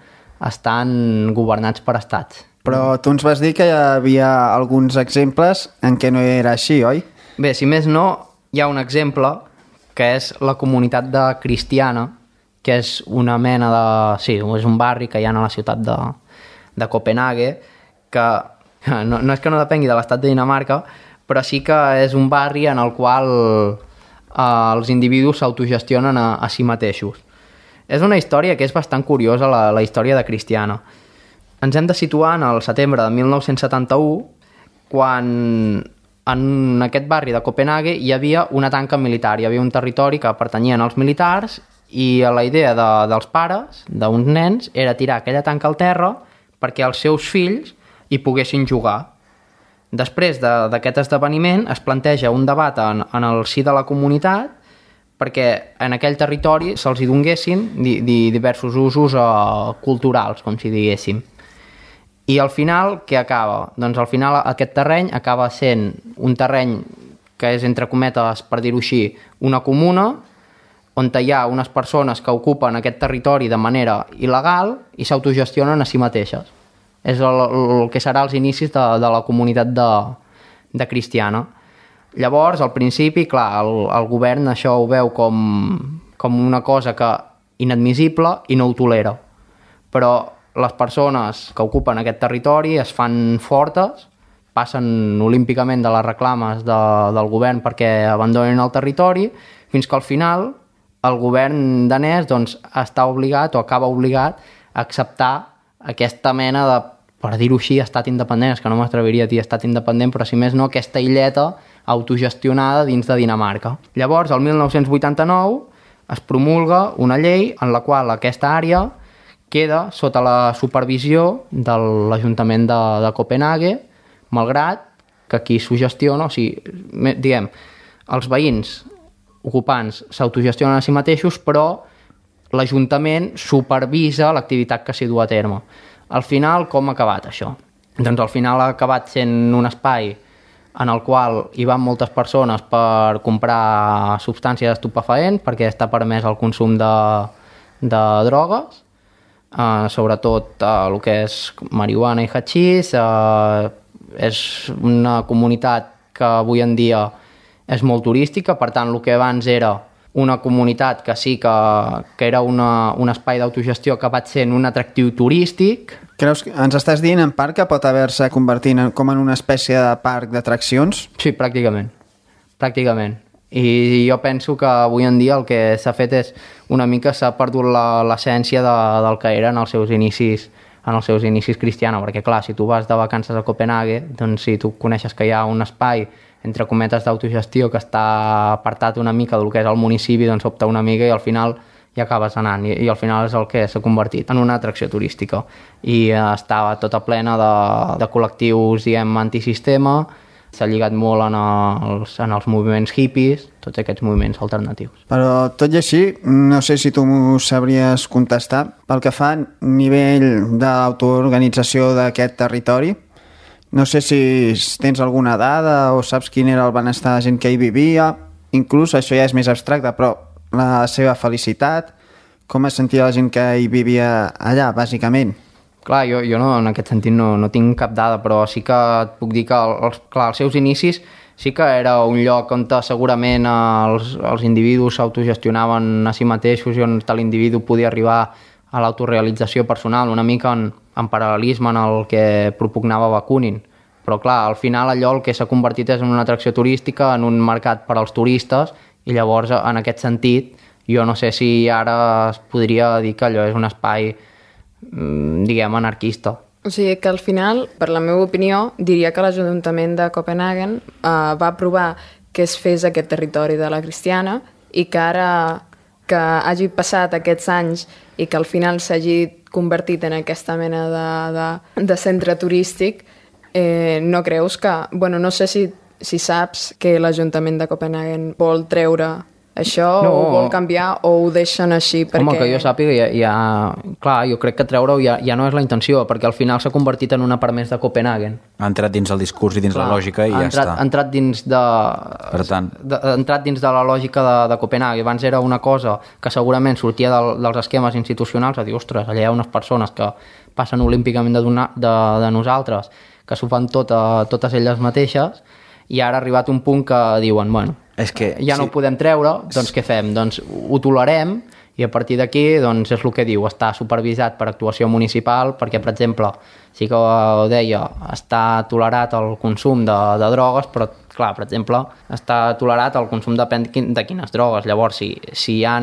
estan governats per estats. Però tu ens vas dir que hi havia alguns exemples en què no era així, oi? Bé, si més no, hi ha un exemple que és la comunitat de Cristiana, que és una mena de... Sí, és un barri que hi ha a la ciutat de Copenhague, que no és que no depengui de l'estat de Dinamarca, però sí que és un barri en el qual els individus s'autogestionen a si mateixos. És una història que és bastant curiosa, la història de Cristiana. Ens hem de situar en el setembre de 1971, quan en aquest barri de Copenhague hi havia una tanca militar, hi havia un territori que pertanyien als militars i la idea dels pares, d'uns nens, era tirar aquella tanca al terra perquè els seus fills hi poguessin jugar. Després d'aquest esdeveniment es planteja un debat en el si de la comunitat perquè en aquell territori se'ls hi donguessin diversos usos culturals, com si diguéssim. I al final, què acaba? Doncs al final aquest terreny acaba sent un terreny que és, entre cometes, per dir-ho així, una comuna on hi ha unes persones que ocupen aquest territori de manera il·legal i s'autogestionen a si mateixes. És el que serà els inicis de la comunitat de cristiana. Llavors, al principi, clar, el govern això ho veu com una cosa inadmissible i no ho tolera. Però les persones que ocupen aquest territori es fan fortes, passen olímpicament de les reclames del govern perquè abandonin el territori, fins que al final el govern danès doncs, està obligat o acaba obligat a acceptar aquesta mena de, per dir-ho així, estat independent, és que no m'atreviria a dir estat independent, però si més no, aquesta illeta autogestionada dins de Dinamarca. Llavors, el 1989, es promulga una llei en la qual aquesta àrea queda sota la supervisió de l'Ajuntament de Copenhague, malgrat que aquí s'ho gestiona, o sigui, diguem, els veïns ocupants s'autogestionen a si mateixos, però l'Ajuntament supervisa l'activitat que s'hi du a terme. Al final, com ha acabat això? Doncs al final ha acabat sent un espai en el qual hi van moltes persones per comprar substàncies estupefaents, perquè està permès el consum de drogues, sobretot el que és marihuana i hachís. És una comunitat que avui en dia és molt turística, per tant, el que abans era una comunitat que sí que era un espai d'autogestió, ha acabat sent un atractiu turístic. Creus que ens estàs dient en part que pot haver-se convertit com en una espècie de parc d'atraccions? Sí, pràcticament. I jo penso que avui en dia el que s'ha fet és una mica s'ha perdut l'essència del que eren els seus inicis cristians, perquè clar, si tu vas de vacances a Copenhague, doncs si tu coneixes que hi ha un espai entre cometes d'autogestió que està apartat una mica del que és el municipi, doncs opta una mica i al final hi acabes anant, i al final és el que s'ha convertit en una atracció turística, i estava tota plena de col·lectius, diguem, antisistema. S'ha lligat molt en els moviments hippies, tots aquests moviments alternatius. Però tot i així, no sé si tu m'ho sabries contestar, pel que fa a nivell d'autoorganització d'aquest territori, no sé si tens alguna dada o saps quin era el benestar de la gent que hi vivia, inclús això ja és més abstracte, però la seva felicitat, com es sentia la gent que hi vivia allà, bàsicament? Clar, jo no, en aquest sentit no tinc cap dada, però sí que et puc dir que els seus inicis sí que era un lloc on segurament els individus s'autogestionaven a si mateixos i on l'individu podia arribar a l'autorealització personal, una mica en paral·lelisme en el que propugnava Bakunin. Però clar, al final allò el que s'ha convertit és en una atracció turística, en un mercat per als turistes, i llavors en aquest sentit jo no sé si ara es podria dir que allò és un espai, diguem, anarquista. O sigui que al final, per la meva opinió, diria que l'Ajuntament de Copenhagen va aprovar que es fes aquest territori de la cristiana i que ara que hagi passat aquests anys i que al final s'hagi convertit en aquesta mena de centre turístic, no creus que... Bueno, no sé si saps que l'Ajuntament de Copenhagen vol treure això, no, o vol canviar, o ho deixen així perquè... Home, que jo sàpiga, clar, jo crec que treure-ho ja no és la intenció, perquè al final s'ha convertit en una part més de Copenhagen. Ha entrat dins el discurs i dins la lògica i ja està. Ha entrat dins de la lògica de Copenhagen. Abans era una cosa que segurament sortia dels esquemes institucionals, a dir, ostres, allà hi ha unes persones que passen olímpicament de nosaltres, que s'ho fan totes elles mateixes, i ara ha arribat un punt que diuen, bueno, és que, ja no ho podem treure, doncs què fem? Doncs ho tolerem, i a partir d'aquí doncs és el que diu, està supervisat per actuació municipal, perquè, per exemple, sí que ho deia, està tolerat el consum de drogues, però, clar, per exemple, està tolerat el consum de quines drogues. Llavors, si hi ha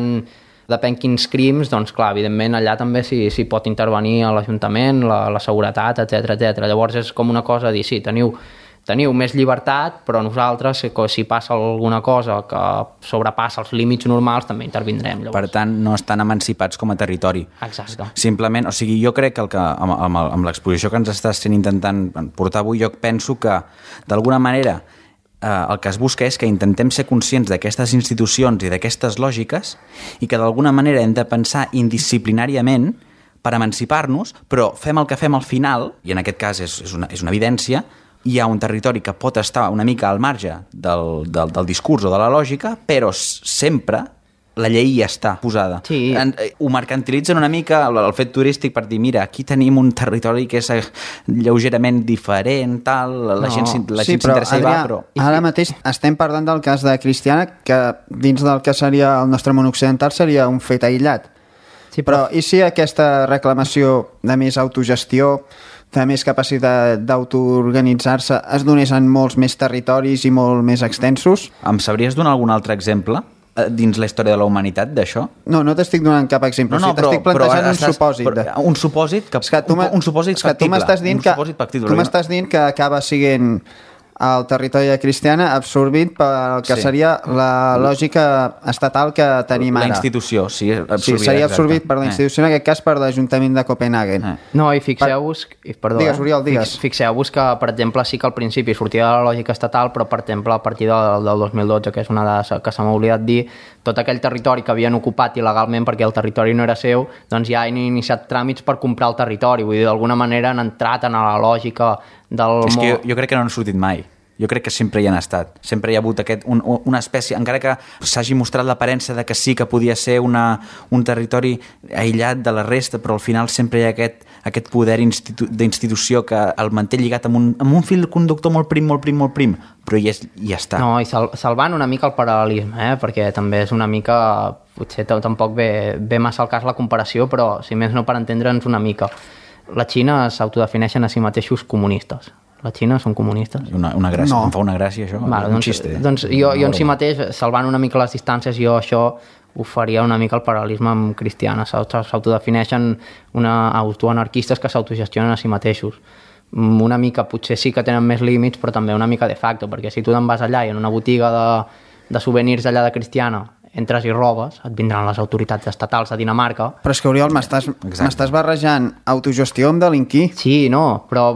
depèn quins crims, doncs clar, evidentment allà també s'hi pot intervenir a l'Ajuntament, la seguretat, etc. Llavors és com una cosa dir, sí, teniu més llibertat, però nosaltres, si passa alguna cosa que sobrepassa els límits normals, també intervindrem. Llavors. Per tant, no estan emancipats com a territori. Exacte. Simplement, o sigui, jo crec que amb l'exposició que ens estàs intentant portar avui, jo penso que, d'alguna manera, el que es busca és que intentem ser conscients d'aquestes institucions i d'aquestes lògiques i que d'alguna manera hem de pensar indisciplinàriament per emancipar-nos, però fem el que fem al final, i en aquest cas és una evidència, hi ha un territori que pot estar una mica al marge del discurs o de la lògica, però sempre la llei ja està posada. Sí. Ho mercantilitzen una mica el fet turístic per dir, mira, aquí tenim un territori que és lleugerament diferent, tal, la gent s'interessa i va, però... Ara mateix estem parlant del cas de Cristiana, que dins del que seria el nostre món occidental seria un fet aïllat. Sí, però i si aquesta reclamació de més autogestió, de més capacitat d'autoorganitzar-se es donés en molts més territoris i molt més extensos? Em sabries donar algun altre exemple dins la història de la humanitat d'això? No t'estic donant cap exemple, t'estic plantejant un supòsit. Un supòsit factible. Tu m'estàs dient que acaba sent el territori de Cristiana absorbit pel que seria la lògica estatal que tenim ara. La institució, sí. Seria absorbit per la institució, en aquest cas per l'Ajuntament de Copenhagen. No, i fixeu-vos... Digues, Oriol, digues. Fixeu-vos que, per exemple, sí que al principi sortia de la lògica estatal, però, per exemple, a partir del 2012, que és una dada que se m'ha oblidat dir, tot aquell territori que havien ocupat il·legalment perquè el territori no era seu, doncs ja han iniciat tràmits per comprar el territori. Vull dir, d'alguna manera han entrat en la lògica del... És que jo crec que no han sortit mai. Jo crec que sempre hi han estat. Sempre hi ha hagut una espècie, encara que s'hagi mostrat l'aparença de que sí que podia ser un territori aïllat de la resta, però al final sempre hi ha aquest poder d'institució que el manté lligat amb un fil conductor molt prim, però ja està. No, i salvant una mica el paral·lelisme, perquè també és una mica... Potser tampoc ve massa al cas la comparació, però si més no per entendre'ns una mica. La Xina s'autodefineixen a si mateixos comunistes. La Xina són comunistes. Una gràcia, no. Em fa una gràcia això. Vale, doncs jo en si mateix, salvant una mica les distàncies, jo això ho faria una mica el paral·lelisme amb Cristiana. S'autodefineixen autoanarquistes que s'autogestionen a si mateixos. Una mica, potser sí que tenen més límits, però també una mica de facto, perquè si tu te'n vas allà i en una botiga de souvenirs allà de Cristiana entres i robes, et vindran les autoritats estatals de Dinamarca. Però és que, Oriol, m'estàs barrejant autogestió amb delinquir. Sí, no, però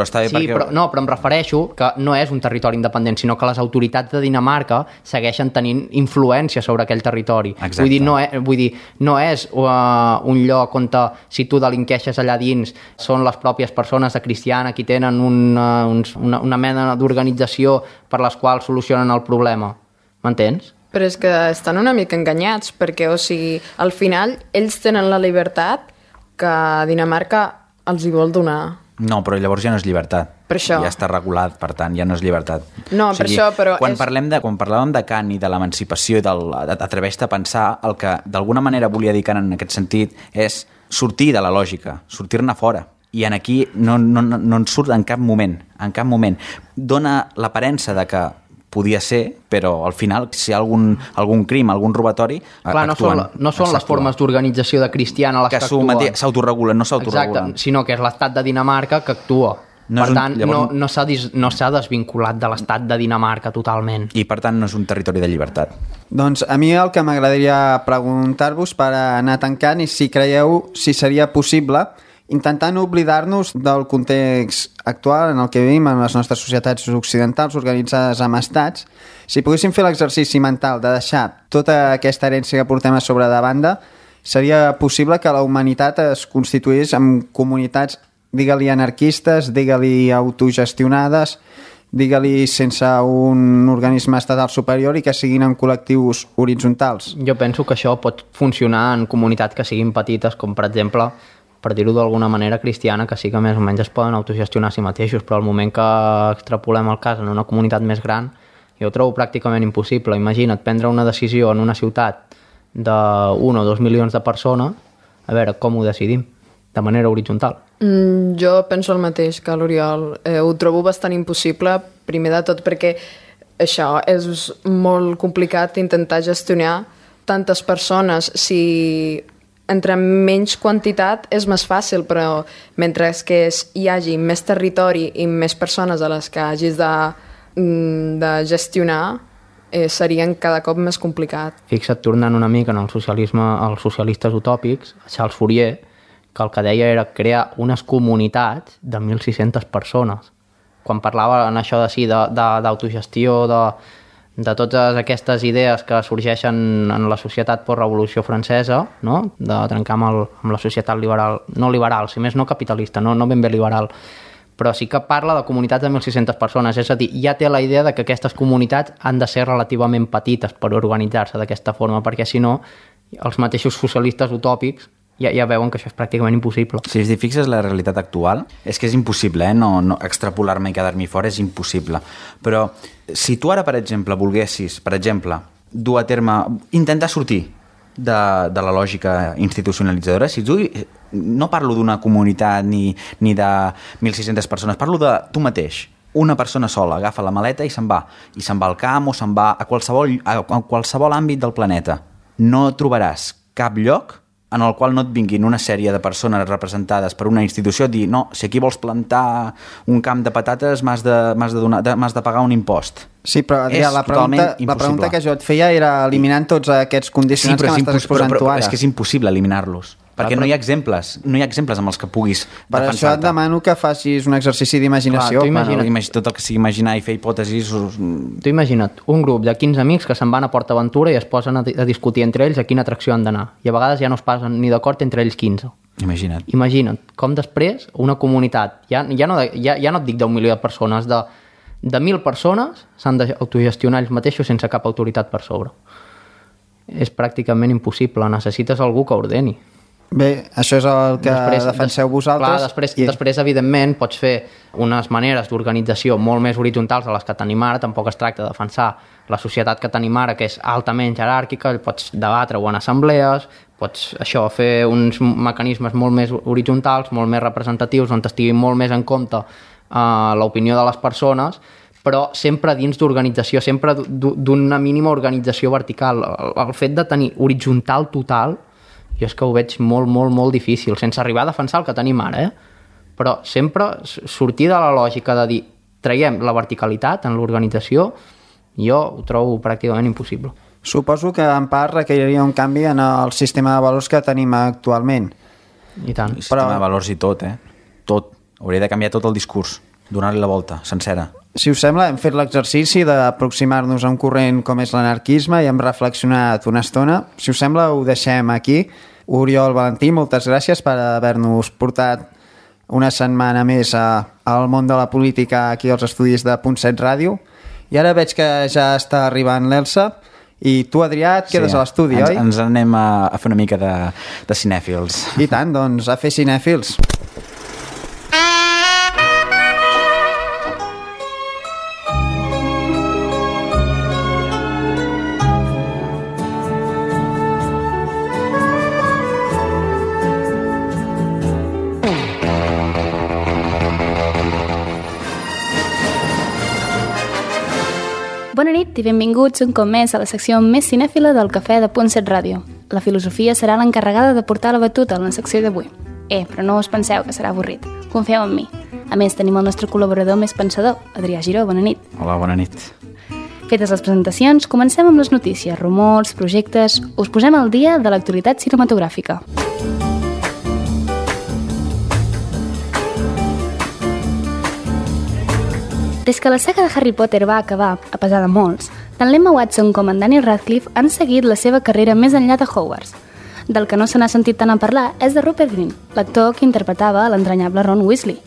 està bé perquè... però em refereixo que no és un territori independent, sinó que les autoritats de Dinamarca segueixen tenint influència sobre aquell territori. Exacte. Vull dir, no és un lloc on si tu delinqueixes allà dins són les pròpies persones de Cristiana qui tenen una mena d'organització per les quals solucionen el problema. M'entens? Però és que estan una mica enganyats, perquè, o sigui, al final ells tenen la llibertat que Dinamarca els hi vol donar. No, però llavors ja no és llibertat. Per això. Ja està regulat, per tant, ja no és llibertat. No, per això, però... Quan parlàvem de Kant i de l'emancipació i d'atreveix-te a pensar, el que d'alguna manera volia dir Kant en aquest sentit és sortir de la lògica, sortir-ne fora. I en aquí no en surt en cap moment. En cap moment. Dona l'aparença de que podia ser, però al final, si hi ha algun crim, algun robatori, clar, no són les formes d'organització de Cristiana les que actuen. S'autoregulen, no s'autoregulen. Exacte, sinó que és l'estat de Dinamarca que actua. Per tant, no s'ha desvinculat de l'estat de Dinamarca totalment. I per tant no és un territori de llibertat. Doncs a mi el que m'agradaria preguntar-vos per anar tancant és si creieu si seria possible, intentant oblidar-nos del context actual en el que vivim en les nostres societats occidentals organitzades amb estats, si poguéssim fer l'exercici mental de deixar tota aquesta herència que portem a sobre de banda, seria possible que la humanitat es constituís en comunitats, digue-li anarquistes, digue-li autogestionades, digue-li sense un organisme estatal superior i que siguin en col·lectius horitzontals. Jo penso que això pot funcionar en comunitats que siguin petites, com per exemple, per dir-ho d'alguna manera, Cristiana, que sí que més o menys es poden autogestionar a si mateixos, però al moment que extrapolem el cas en una comunitat més gran, jo ho trobo pràcticament impossible. Imagina't prendre una decisió en una ciutat d'1 o 2 milions de persones, a veure com ho decidim, de manera horitzontal. Jo penso el mateix que l'Oriol. Ho trobo bastant impossible, primer de tot perquè això és molt complicat intentar gestionar tantes persones. Si entre menys quantitat és més fàcil, però mentre que hi hagi més territori i més persones a les que hagis de gestionar, serien cada cop més complicat. Fixa't, tornant una mica en el socialisme, als socialistes utòpics, Charles Fourier, que el que deia era crear unes comunitats de 1.600 persones. Quan parlava en això d'autogestió, de totes aquestes idees que sorgeixen en la societat postrevolució francesa, no? De trencar amb la societat liberal, no liberal, si més no capitalista, no ben bé liberal, però sí que parla de comunitats de 1.600 persones, és a dir, ja té la idea de que aquestes comunitats han de ser relativament petites per organitzar-se d'aquesta forma, perquè si no, els mateixos socialistes utòpics ja veuen que això és pràcticament impossible. Si es fixes la realitat actual, és que és impossible, no extrapolar-me i quedar-m'hi fora és impossible. Però si tu ara, per exemple, volguessis, dur a terme, intentar sortir de la lògica institucionalitzadora, si tu, no parlo d'una comunitat ni de 1.600 persones, parlo de tu mateix. Una persona sola agafa la maleta i se'n va al camp o se'n va a qualsevol àmbit del planeta. No trobaràs cap lloc en el qual no et vinguin una sèrie de persones representades per una institució a dir, no, si aquí vols plantar un camp de patates m'has de pagar un impost. Sí, però Adrià, la pregunta que jo et feia era eliminant tots aquests condicionants que m'estàs exposant tu ara. És que és impossible eliminar-los, perquè no hi ha exemples amb els que puguis defensar-te. Per això et demano que facis un exercici d'imaginació. Tot el que sigui imaginar i fer hipòtesis... Tu imagina't un grup de 15 amics que se'n van a Port Aventura i es posen a discutir entre ells a quina atracció han d'anar. I a vegades ja no es passen ni d'acord entre ells 15. Imagina't com després una comunitat, ja no et dic d'un milió de persones, de 1.000 persones s'han d'autogestionar ells mateixos sense cap autoritat per sobre. És pràcticament impossible, necessites algú que ordeni. Bé, això és el que defenseu vosaltres. Clar, després, evidentment, pots fer unes maneres d'organització molt més horitzontals de les que tenim ara. Tampoc es tracta de defensar la societat que tenim ara, que és altament jeràrquica, pots debatre-ho en assemblees, pots fer uns mecanismes molt més horitzontals, molt més representatius, on estiguin molt més en compte l'opinió de les persones, però sempre dins d'organització, sempre d'una mínima organització vertical. El fet de tenir horitzontal total, jo és que ho veig molt, molt, molt difícil, sense arribar a defensar el que tenim ara, però sempre sortir de la lògica de dir traiem la verticalitat en l'organització, jo ho trobo pràcticament impossible. Suposo que en part requeriria un canvi en el sistema de valors que tenim actualment. I tant. El sistema de valors i tot, tot. Hauria de canviar tot el discurs, donar-li la volta, sencera. Si us sembla, hem fet l'exercici d'aproximar-nos a un corrent com és l'anarquisme i hem reflexionat una estona. Si us sembla, ho deixem aquí. Oriol Valentí, moltes gràcies per haver-nos portat una setmana més al món de la política aquí als estudis de .7 Ràdio. I ara veig que ja està arribant l'Elsa i tu, Adrià, et quedes a l'estudi, oi? Ens anem a fer una mica de cinèfils. I tant, doncs, a fer cinèfils. Bona nit i benvinguts un cop més a la secció més cinèfila del Cafè de .7 Ràdio. La filosofia serà l'encarregada de portar la batuta en la secció d'avui. Però no us penseu que serà avorrit. Confieu en mi. A més, tenim el nostre col·laborador més pensador, Adrià Giró. Bona nit. Hola, bona nit. Fetes les presentacions, comencem amb les notícies, rumors, projectes... Us posem al dia de l'actualitat cinematogràfica. Des que la saga de Harry Potter va acabar, a pesar de molts, tant l'Emma Watson com en Daniel Radcliffe han seguit la seva carrera més enllà de Hogwarts. Del que no se n'ha sentit tant a parlar és de Rupert Grint, l'actor que interpretava l'entranyable Ron Weasley.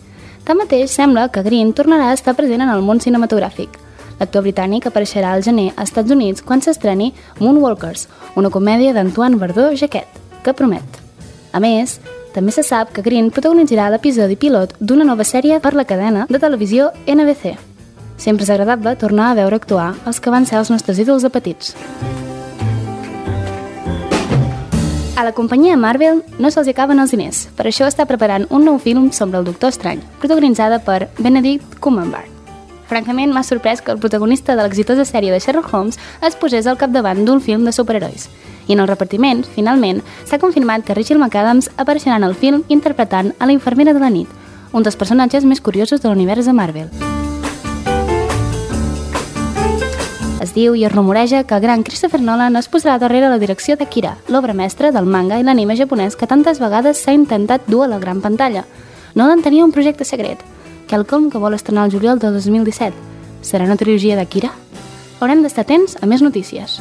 Tanmateix, sembla que Grint tornarà a estar present en el món cinematogràfic. L'actor britànic apareixerà al gener als Estats Units quan s'estreni Moonwalkers, una comèdia d'Antoine Bardot-Jacquet, que promet. A més, també se sap que Grint protagonitzarà l'episodi pilot d'una nova sèrie per la cadena de televisió NBC. Sempre és agradable tornar a veure actuar els que van ser els nostres ídols de petits. A la companyia Marvel no se'ls acaben els diners, per això està preparant un nou film sobre el Doctor Estrany, protagonitzada per Benedict Cumberbatch. Francament, m'ha sorprès que el protagonista de l'exitosa sèrie de Sherlock Holmes es posés al capdavant d'un film de superherois. I en el repartiment, finalment, s'ha confirmat que Rachel McAdams apareixerà en el film interpretant a la infermera de la nit, un dels personatges més curiosos de l'univers de Marvel. Es diu i es rumoreja que el gran Christopher Nolan es posarà darrere la direcció d'Akira, l'obra mestra del manga i l'anime japonès que tantes vegades s'ha intentat dur a la gran pantalla. Nolan tenia un projecte secret, quelcom que vol estrenar el juliol de 2017. Serà una trilogia d'Akira? Haurem d'estar atents a més notícies.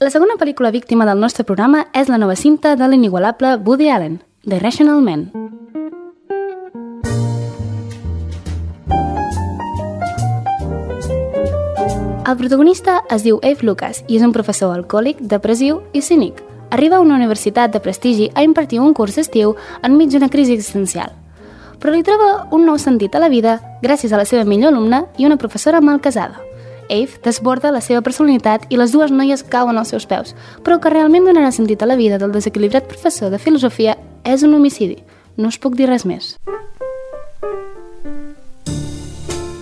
La segona pel·lícula víctima del nostre programa és la nova cinta de l'inigualable Woody Allen, The Irrational Man. El protagonista es diu Eve Lucas i és un professor alcohòlic, depressiu i cínic. Arriba a una universitat de prestigi a impartir un curs d'estiu enmig d'una crisi existencial. Però li troba un nou sentit a la vida gràcies a la seva millor alumna i una professora mal casada. Eve desborda la seva personalitat i les dues noies cauen als seus peus, però que realment donarà sentit a la vida del desequilibrat professor de filosofia és un homicidi. No us puc dir res més.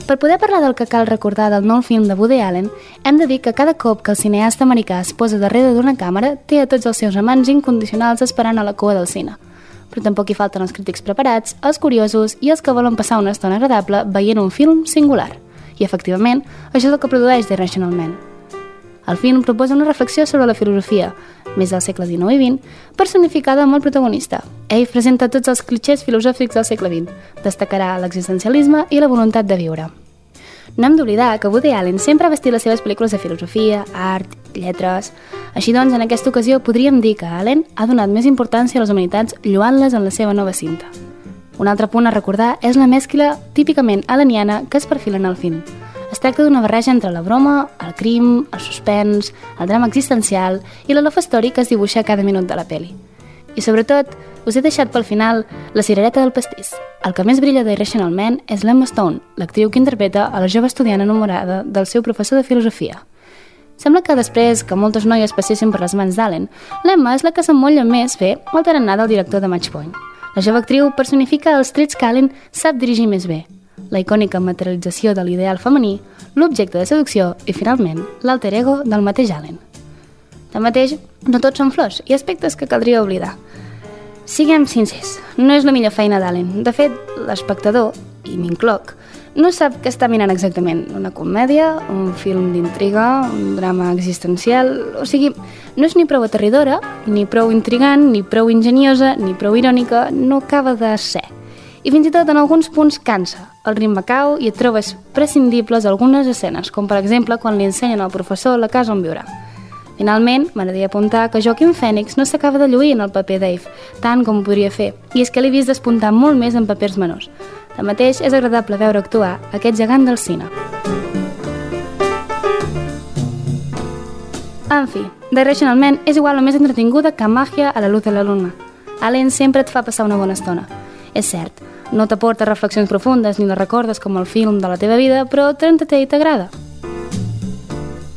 Per poder parlar del que cal recordar del nou film de Woody Allen, hem de dir que cada cop que el cineasta americà es posa darrere d'una càmera té a tots els seus amants incondicionals esperant a la cua del cine. Però tampoc hi falten els crítics preparats, els curiosos i els que volen passar una estona agradable veient un film singular. I, efectivament, això és el que produeix The Irrational Man. El film proposa una reflexió sobre la filosofia, més del segle XIX i XX, personificada amb el protagonista. Ell presenta tots els clixés filosòfics del segle XX, destacarà l'existencialisme i la voluntat de viure. No hem d'oblidar que Woody Allen sempre ha vestit les seves pel·lícules de filosofia, art, lletres... Així doncs, en aquesta ocasió podríem dir que Allen ha donat més importància a les humanitats lloant-les en la seva nova cinta. Un altre punt a recordar és la mescla típicament aleniana que es perfila en el film. Es tracta d'una barreja entre la broma, el crim, el suspens, el drama existencial i la love story que es dibuixa cada minut de la peli. I sobretot, us he deixat pel final la cirereta del pastís. El que més brilla d'Irrational Man és l'Emma Stone, l'actriu que interpreta a la jove estudiant enamorada del seu professor de filosofia. Sembla que després que moltes noies passessin per les mans d'Allen, l'Emma és la que s'emmolla més bé al tarannà del director de Match Point. La jove actriu personifica els trets que Allen sap dirigir més bé, la icònica materialització de l'ideal femení, l'objecte de seducció i, finalment, l'alter ego del mateix Allen. Tanmateix, no tots són flors i aspectes que caldria oblidar. Siguem sincers, no és la millor feina d'Allen. De fet, l'espectador, i m'incloc, no sap què està mirant exactament. Una comèdia, un film d'intriga, un drama existencial... O sigui, no és ni prou aterridora, ni prou intrigant, ni prou enginyosa, ni prou irònica, no acaba de ser. I fins i tot en alguns punts cansa. El ritme cau i et trobes prescindibles algunes escenes, com per exemple quan li ensenyen al professor la casa on viurà. Finalment, m'agradaria apuntar que Joaquin Phoenix no s'acaba de lluir en el paper Dave, tant com ho podria fer, i és que l'he vist despuntar molt més en papers menors. Tanmateix, és agradable veure actuar aquest gegant del cine. En fi, The Irrational Man és igual o més entretinguda que Màgia a la luz de la luna. Allen sempre et fa passar una bona estona. És cert, no t'aporta reflexions profundes ni les recordes com el film de la teva vida, però t'entreté i t'agrada.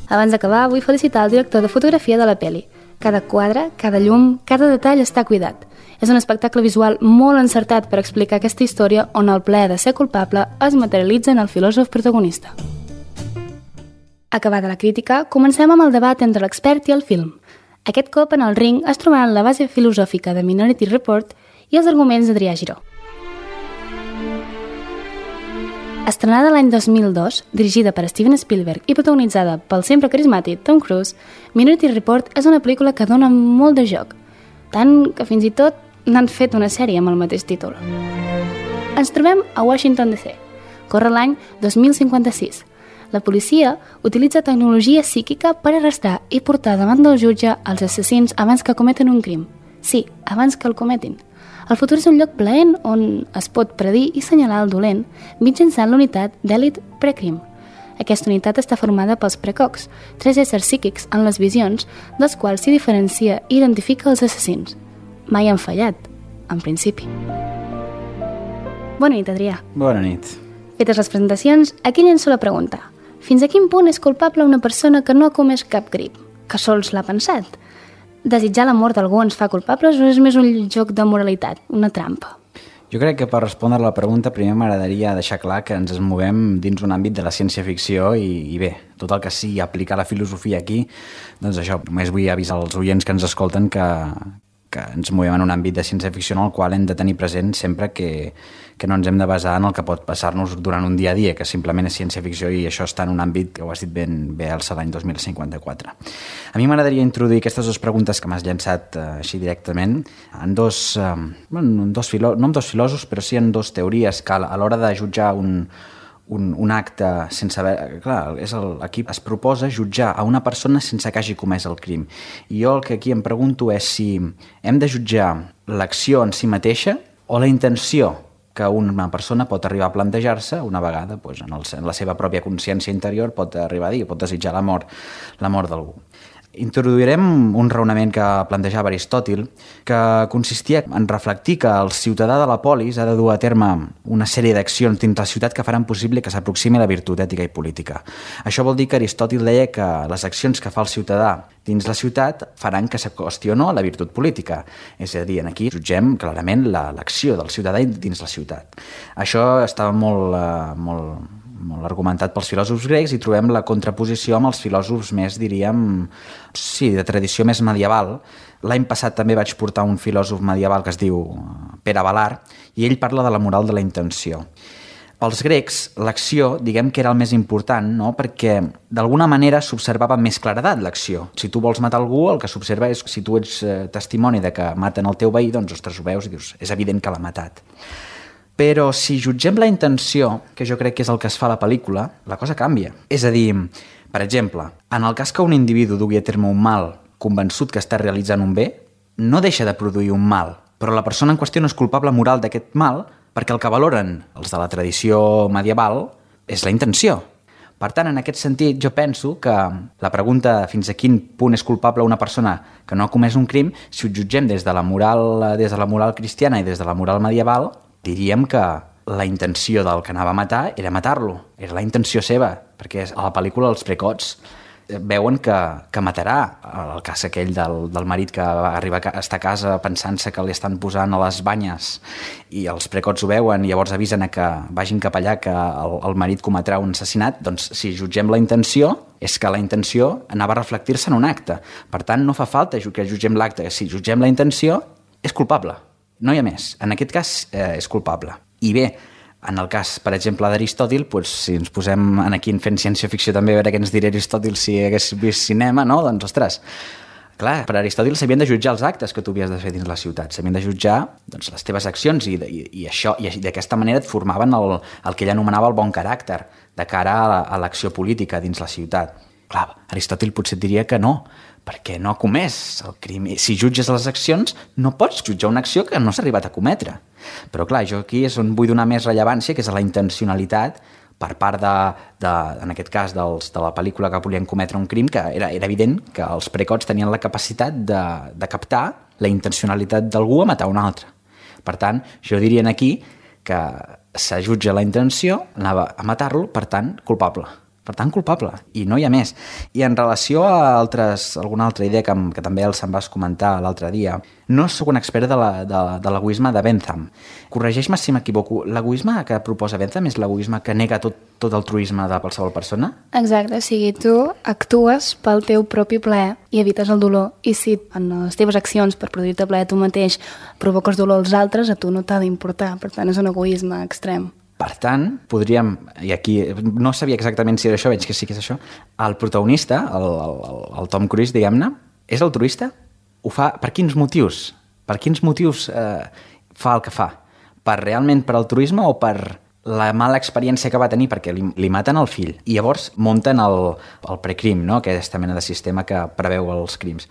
Abans d'acabar, vull felicitar el director de fotografia de la peli. Cada quadre, cada llum, cada detall està cuidat. És un espectacle visual molt encertat per explicar aquesta història on el plaer de ser culpable es materialitza en el filòsof protagonista. Acabada la crítica, comencem amb el debat entre l'expert i el film. Aquest cop en el ring es trobaran la base filosòfica de Minority Report i els arguments d'Adrià Giró. Estrenada l'any 2002, dirigida per Steven Spielberg i protagonitzada pel sempre carismàtic Tom Cruise, Minority Report és una pel·lícula que dona molt de joc, tant que fins i tot n'han fet una sèrie amb el mateix títol. Ens trobem a Washington DC. Corre l'any 2056. La policia utilitza tecnologia psíquica per arrestar i portar davant del jutge els assassins abans que cometen un crim. Sí, abans que el cometin. El futur és un lloc plaent on es pot predir i senyalar el dolent mitjançant l'unitat d'Elite Precrim. Aquesta unitat està formada pels precocs, 3 éssers psíquics en les visions, dels quals s'hi diferencia i identifica els assassins. Mai han fallat, en principi. Bona nit, Adrià. Bona nit. Fetes les presentacions, aquí llenço la pregunta. Fins a quin punt és culpable una persona que no ha comès cap crim, que sols l'ha pensat? Desitjar la mort d'algú ens fa culpables o és més un joc de moralitat, una trampa? Jo crec que per respondre a la pregunta primer m'agradaria deixar clar que ens movem dins un àmbit de la ciència-ficció i bé, tot el que sigui aplicar la filosofia aquí, doncs això, només vull avisar als oients que ens escolten que ens movem en un àmbit de ciència-ficció en el qual hem de tenir present sempre que no ens hem de basar en el que pot passar-nos durant un dia a dia, que simplement és ciència-ficció i això està en un àmbit que ho has dit ben bé alça l'any 2054. A mi m'agradaria introduir aquestes dues preguntes que m'has llançat així directament en no en dos filòsofs, però sí en dos teories que a l'hora de jutjar un acte sense haver... Clar, aquí es proposa jutjar a una persona sense que hagi comès el crim. I jo el que aquí em pregunto és si hem de jutjar l'acció en si mateixa o la intenció que una persona pot arribar a plantejar-se una vegada, doncs, en la seva pròpia consciència interior pot arribar a dir, pot desitjar la mort d'algú. Introduirem un raonament que plantejava Aristòtil, que consistia en reflectir que el ciutadà de la polis ha de dur a terme una sèrie d'accions dins la ciutat que faran possible que s'aproximi a la virtut ètica i política. Això vol dir que Aristòtil deia que les accions que fa el ciutadà dins la ciutat faran que s'acosti o no a la virtut política. És a dir, aquí jutgem clarament l'acció del ciutadà dins la ciutat. Això estava molt argumentat pels filòsofs grecs i trobem la contraposició amb els filòsofs més, diríem, de tradició més medieval. L'any passat també vaig portar un filòsof medieval que es diu Pere Balar i ell parla de la moral de la intenció. Pels grecs, l'acció, diguem que era el més important, no? Perquè d'alguna manera s'observava amb més claredat l'acció. Si tu vols matar algú, el que s'observa és si tu ets testimoni de que maten el teu veí, doncs, ostres, ho veus i dius, és evident que l'ha matat. Però si jutgem la intenció, que jo crec que és el que es fa a la pel·lícula, la cosa canvia. És a dir, per exemple, en el cas que un individu dugui a terme un mal convençut que està realitzant un bé, no deixa de produir un mal, però la persona en qüestió no és culpable moral d'aquest mal perquè el que valoren els de la tradició medieval és la intenció. Per tant, en aquest sentit, jo penso que la pregunta fins a quin punt és culpable una persona que no ha comès un crim, si ho jutgem des de la moral cristiana i des de la moral medieval, diríem que la intenció del que anava a matar era matar-lo, era la intenció seva, perquè a la pel·lícula els precots veuen que matarà. El cas aquell del marit que va arribar a estar a casa pensant-se que li estan posant a les banyes i els precots ho veuen i llavors avisen que vagin cap allà que el marit cometrà un assassinat, doncs si jutgem la intenció és que la intenció anava a reflectir-se en un acte. Per tant, no fa falta que jutgem l'acte. Si jutgem la intenció, és culpable. No hi ha més. En aquest cas és culpable. I bé, en el cas, per exemple, d'Aristòtil, doncs, si ens posem aquí fent ciència-ficció també, a veure què ens diria Aristòtil si hagués vist cinema, no? Doncs, ostres, clar, per Aristòtil s'havien de jutjar els actes que tu havies de fer dins la ciutat, s'havien de jutjar doncs, les teves accions i d'aquesta manera et formaven el que ell anomenava el bon caràcter de cara a l'acció política dins la ciutat. Clar, Aristòtil potser et diria que no, perquè no ha comès el crim. Si jutges les accions, no pots jutjar una acció que no s'ha arribat a cometre. Però clar, jo aquí és on vull donar més rellevància, que és a la intencionalitat per part en aquest cas de la pel·lícula que volien cometre un crim, que era evident que els precots tenien la capacitat de captar la intencionalitat d'algú a matar un altre. Per tant, jo diria aquí que se jutja la intenció, anava a matar-lo, per tant, culpable. Per tant, culpable, i no hi ha més. I en relació a alguna altra idea que també se'n vas comentar l'altre dia, no sóc un expert de l'egoisme de Bentham. Corregeix-me si m'equivoco, l'egoisme que proposa Bentham és l'egoisme que nega tot altruisme de qualsevol persona? Exacte, o sigui, tu actues pel teu propi plaer i evites el dolor, i si en les teves accions per produir-te plaer tu mateix provoques dolor als altres, a tu no t'ha d'importar, per tant és un egoisme extrem. Per tant, podríem, i aquí no sabia exactament si era això, veig que sí que és això, el protagonista, el Tom Cruise, diguem-ne, és altruista? Ho fa per quins motius? Per quins motius fa el que fa? Realment per altruisme o per la mala experiència que va tenir perquè li maten el fill i llavors munten el precrim, no? Aquesta mena de sistema que preveu els crims.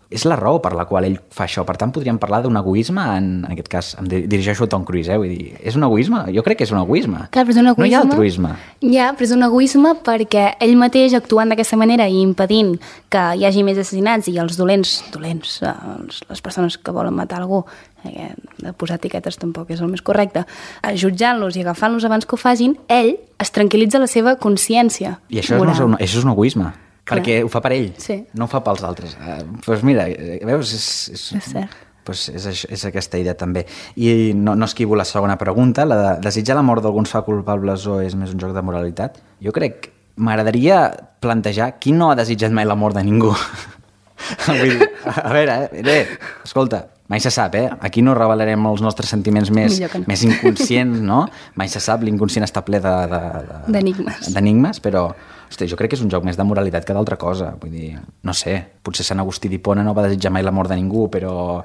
És la raó per la qual ell fa això. Per tant, podríem parlar d'un egoisme, en aquest cas em dirigeixo a Tom Cruise, vull dir, és un egoisme? Jo crec que és un egoisme. Clar, però és un egoisme. No hi ha altruisme. Ja, però és un egoisme perquè ell mateix, actuant d'aquesta manera i impedint que hi hagi més assassinats i els dolents, les persones que volen matar algú, de posar etiquetes tampoc és el més correcte, jutjant-los i agafant-los abans que ho facin, ell es tranquil·litza la seva consciència. I això és un egoisme. Clar. Perquè ho fa per ell, sí. No ho fa pels altres. Doncs mira, veus, és cert. Pues és aquesta idea també. I no esquivo la segona pregunta, la de desitjar la mort d'alguns fa culpables o és més un joc de moralitat. Jo crec que m'agradaria plantejar qui no ha desitjat mai la mort de ningú. Vull dir, a veure, escolta, mai se sap, Aquí no revelarem els nostres sentiments més inconscients, no? Mai se sap, l'inconscient està ple d'enigmes, però hosti, jo crec que és un joc més de moralitat que d'altra cosa. Vull dir, no sé, potser Sant Agustí d'Hipona no va desitjar mai la mort de ningú, però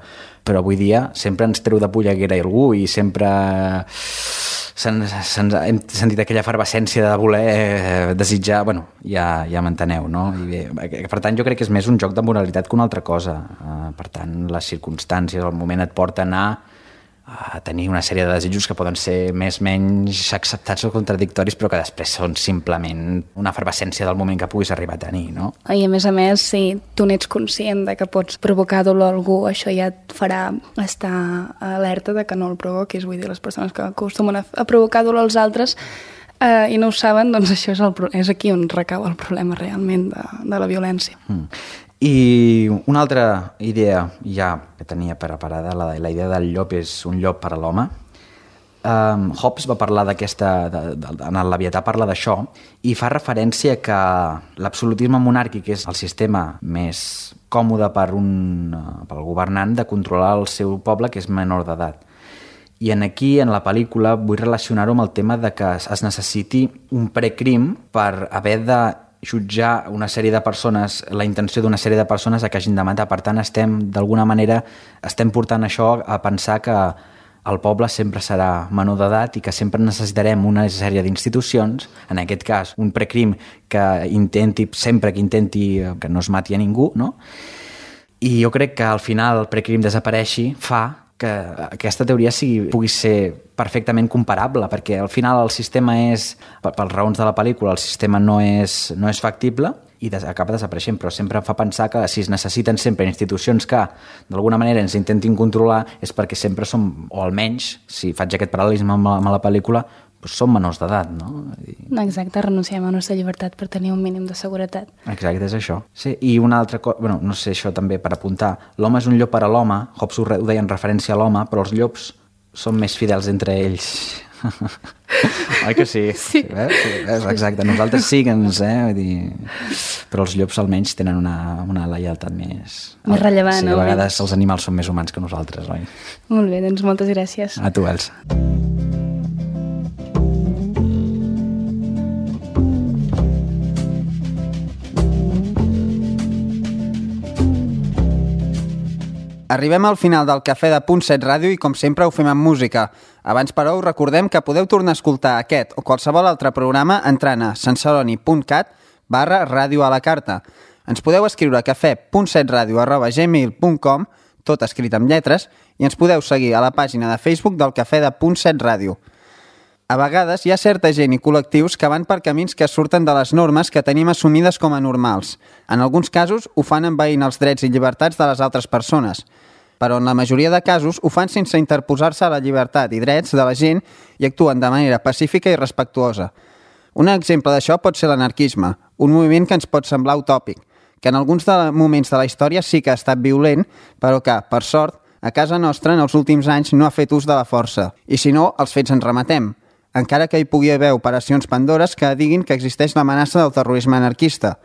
avui dia sempre ens treu de polleguera algú i sempre hem sentit aquella efervescència de voler desitjar, bueno, ja m'enteneu, no? I bé, per tant, jo crec que és més un joc de moralitat que una altra cosa. Per tant, les circumstàncies, el moment et porta a anar tenir una sèrie de desitjos que poden ser més o menys acceptats o contradictoris, però que després són simplement una efervescència del moment que puguis arribar a tenir, no? I a més, si tu n'ets conscient de que pots provocar dolor a algú, això ja et farà estar alerta de que no el provoquis. Vull dir, les persones que acostumen a provocar dolor als altres i no ho saben, doncs això és aquí on recau el problema realment de la violència. I una altra idea ja que tenia preparada, la idea del llop és un llop per a l'home. Hobbes va parlar en el Leviatà parla d'això i fa referència que l'absolutisme monàrquic és el sistema més còmode pel governant de controlar el seu poble, que és menor d'edat. I aquí, en la pel·lícula, vull relacionar-ho amb el tema de que es necessiti un precrim per haver de jutjar una sèrie de persones, la intenció d'una sèrie de persones a que hagin de matar. Per tant, d'alguna manera, estem portant això a pensar que el poble sempre serà menor d'edat i que sempre necessitarem una sèrie d'institucions, en aquest cas un precrim que intenti que no es mati a ningú, no? I jo crec que al final el precrim desapareixi fa que aquesta teoria pugui ser perfectament comparable, perquè al final el sistema és, per raons de la pel·lícula, el sistema no és factible i acaba desapareixent, però sempre fa pensar que si es necessiten sempre institucions que d'alguna manera ens intentin controlar és perquè sempre som, o almenys, si faig aquest paral·lelisme amb la pel·lícula, doncs som menors d'edat, no? Exacte, renunciem a la nostra llibertat per tenir un mínim de seguretat. Exacte, és això. Sí, i una altra cosa, no sé, això també per apuntar, l'home és un llop per a l'home, Hobbes ho deia en referència a l'home, però els llops són més fidels entre ells. Oi que sí? Sí. Exacte, nosaltres sí que vull dir... Però els llops almenys tenen una lleialtat més rellevant. Sí, a vegades els animals són més humans que nosaltres, oi? Molt bé, doncs moltes gràcies. A tu, Elsa. Arribem al final del Cafè de Punt 7 Ràdio i, com sempre, ho fem amb música. Abans, però, us recordem que podeu tornar a escoltar aquest o qualsevol altre programa entrant a sanceloni.cat/ràdio a la carta. Ens podeu escriure a cafè.7radio@gmail.com, tot escrit amb lletres, i ens podeu seguir a la pàgina de Facebook del Cafè de Punt 7 Ràdio. A vegades hi ha certa gent i col·lectius que van per camins que surten de les normes que tenim assumides com a normals. En alguns casos ho fan envaint els drets i llibertats de les altres persones, però en la majoria de casos ho fan sense interposar-se a la llibertat i drets de la gent i actuen de manera pacífica i respectuosa. Un exemple d'això pot ser l'anarquisme, un moviment que ens pot semblar utòpic, que en alguns moments de la història sí que ha estat violent, però que, per sort, a casa nostra en els últims anys no ha fet ús de la força. I si no, els fets ens remetem, encara que hi pugui haver operacions Pandores que diguin que existeix l'amenaça del terrorisme anarquista,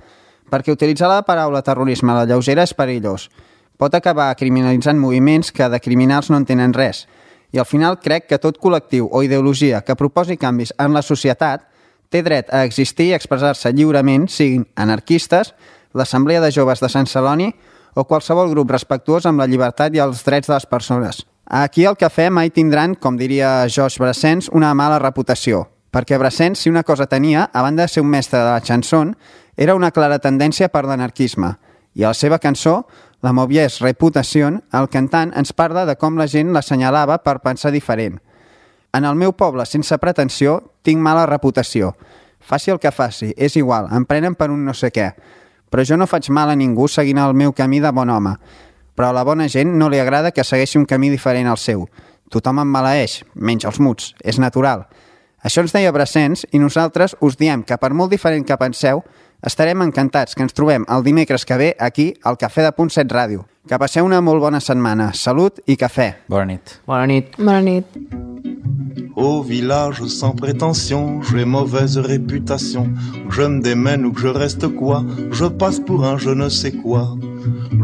perquè utilitzar la paraula terrorisme a la lleugera és perillós. Pot acabar criminalitzant moviments que de criminals no en tenen res. I al final crec que tot col·lectiu o ideologia que proposi canvis en la societat té dret a existir i expressar-se lliurement, siguin anarquistes, l'Assemblea de Joves de Sant Celoni o qualsevol grup respectuós amb la llibertat i els drets de les persones. Aquí al cafè mai tindran, com diria Georges Brassens, una mala reputació, perquè Brassens, si una cosa tenia, a banda de ser un mestre de la chanson, era una clara tendència per l'anarquisme. I a la seva cançó, La mauvaise réputation, el cantant ens parla de com la gent l'assenyalava per pensar diferent. En el meu poble, sense pretensió, tinc mala reputació. Faci el que faci, és igual, em prenen per un no sé què. Però jo no faig mal a ningú seguint el meu camí de bon home. Però a la bona gent no li agrada que segueixi un camí diferent al seu. Tothom em maleeix, menys els muts, és natural. Això ens deia Brassens i nosaltres us diem que per molt diferent que penseu, estarem encantats que ens trobem el dimecres que ve aquí al Cafè de Punt 7 Ràdio. Que passeu una molt bona setmana. Salut i cafè. Bona nit. Bona nit. Bona nit. Au village sans prétention, j'ai mauvaise réputation. Que je me démène ou que je reste quoi, je passe pour un je ne sais quoi.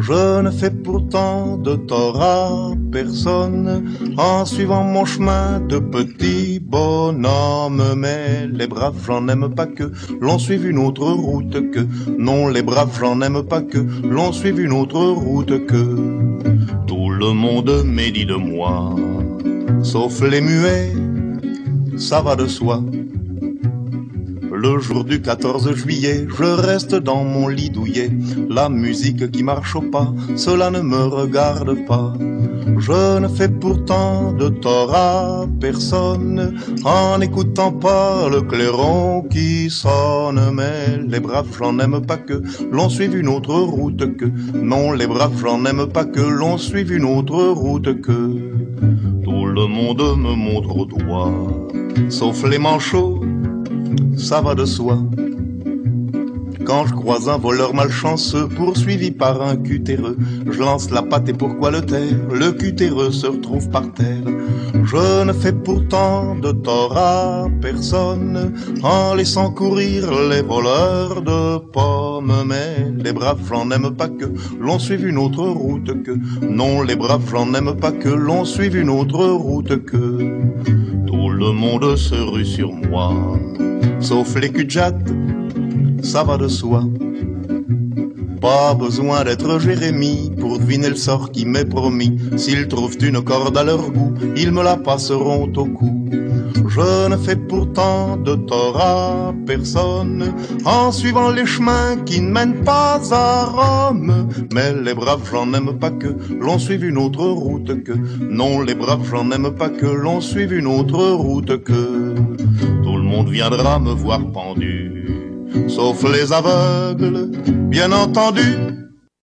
Je ne fais pourtant de tort à personne en suivant mon chemin de petit bonhomme. Mais les braves, j'en aime pas que l'on suive une autre route que. Non, les braves, j'en aime pas que l'on suive une autre route que. Tout le monde médit de moi, sauf les muets, ça va de soi. Le jour du 14 juillet, je reste dans mon lit douillet. La musique qui marche au pas, cela ne me regarde pas. Je ne fais pourtant de tort à personne en n'écoutant pas le clairon qui sonne. Mais les braves gens n'aiment pas que l'on suive une autre route que. Non, les braves gens n'aiment pas que l'on suive une autre route que. Tout le monde me montre au doigt, sauf les manchots, ça va de soi. Quand je croise un voleur malchanceux poursuivi par un cutéreux, je lance la patte et pourquoi le taire? Le cutéreux se retrouve par terre. Je ne fais pourtant de tort à personne en laissant courir les voleurs de pommes. Mais les braves gens n'aiment pas que l'on suive une autre route que. Non, les braves gens n'aiment pas que l'on suive une autre route que. Tout le monde se rue sur moi, sauf les cul-de-jatte, ça va de soi. Pas besoin d'être Jérémie pour deviner le sort qui m'est promis. S'ils trouvent une corde à leur goût, ils me la passeront au cou. Je ne fais pourtant de tort à personne en suivant les chemins qui ne mènent pas à Rome. Mais les braves gens n'aiment pas que l'on suive une autre route que. Non, les braves gens n'aiment pas que l'on suive une autre route que. Tout le monde viendra me voir pendu, sauf les aveugles, bien entendu.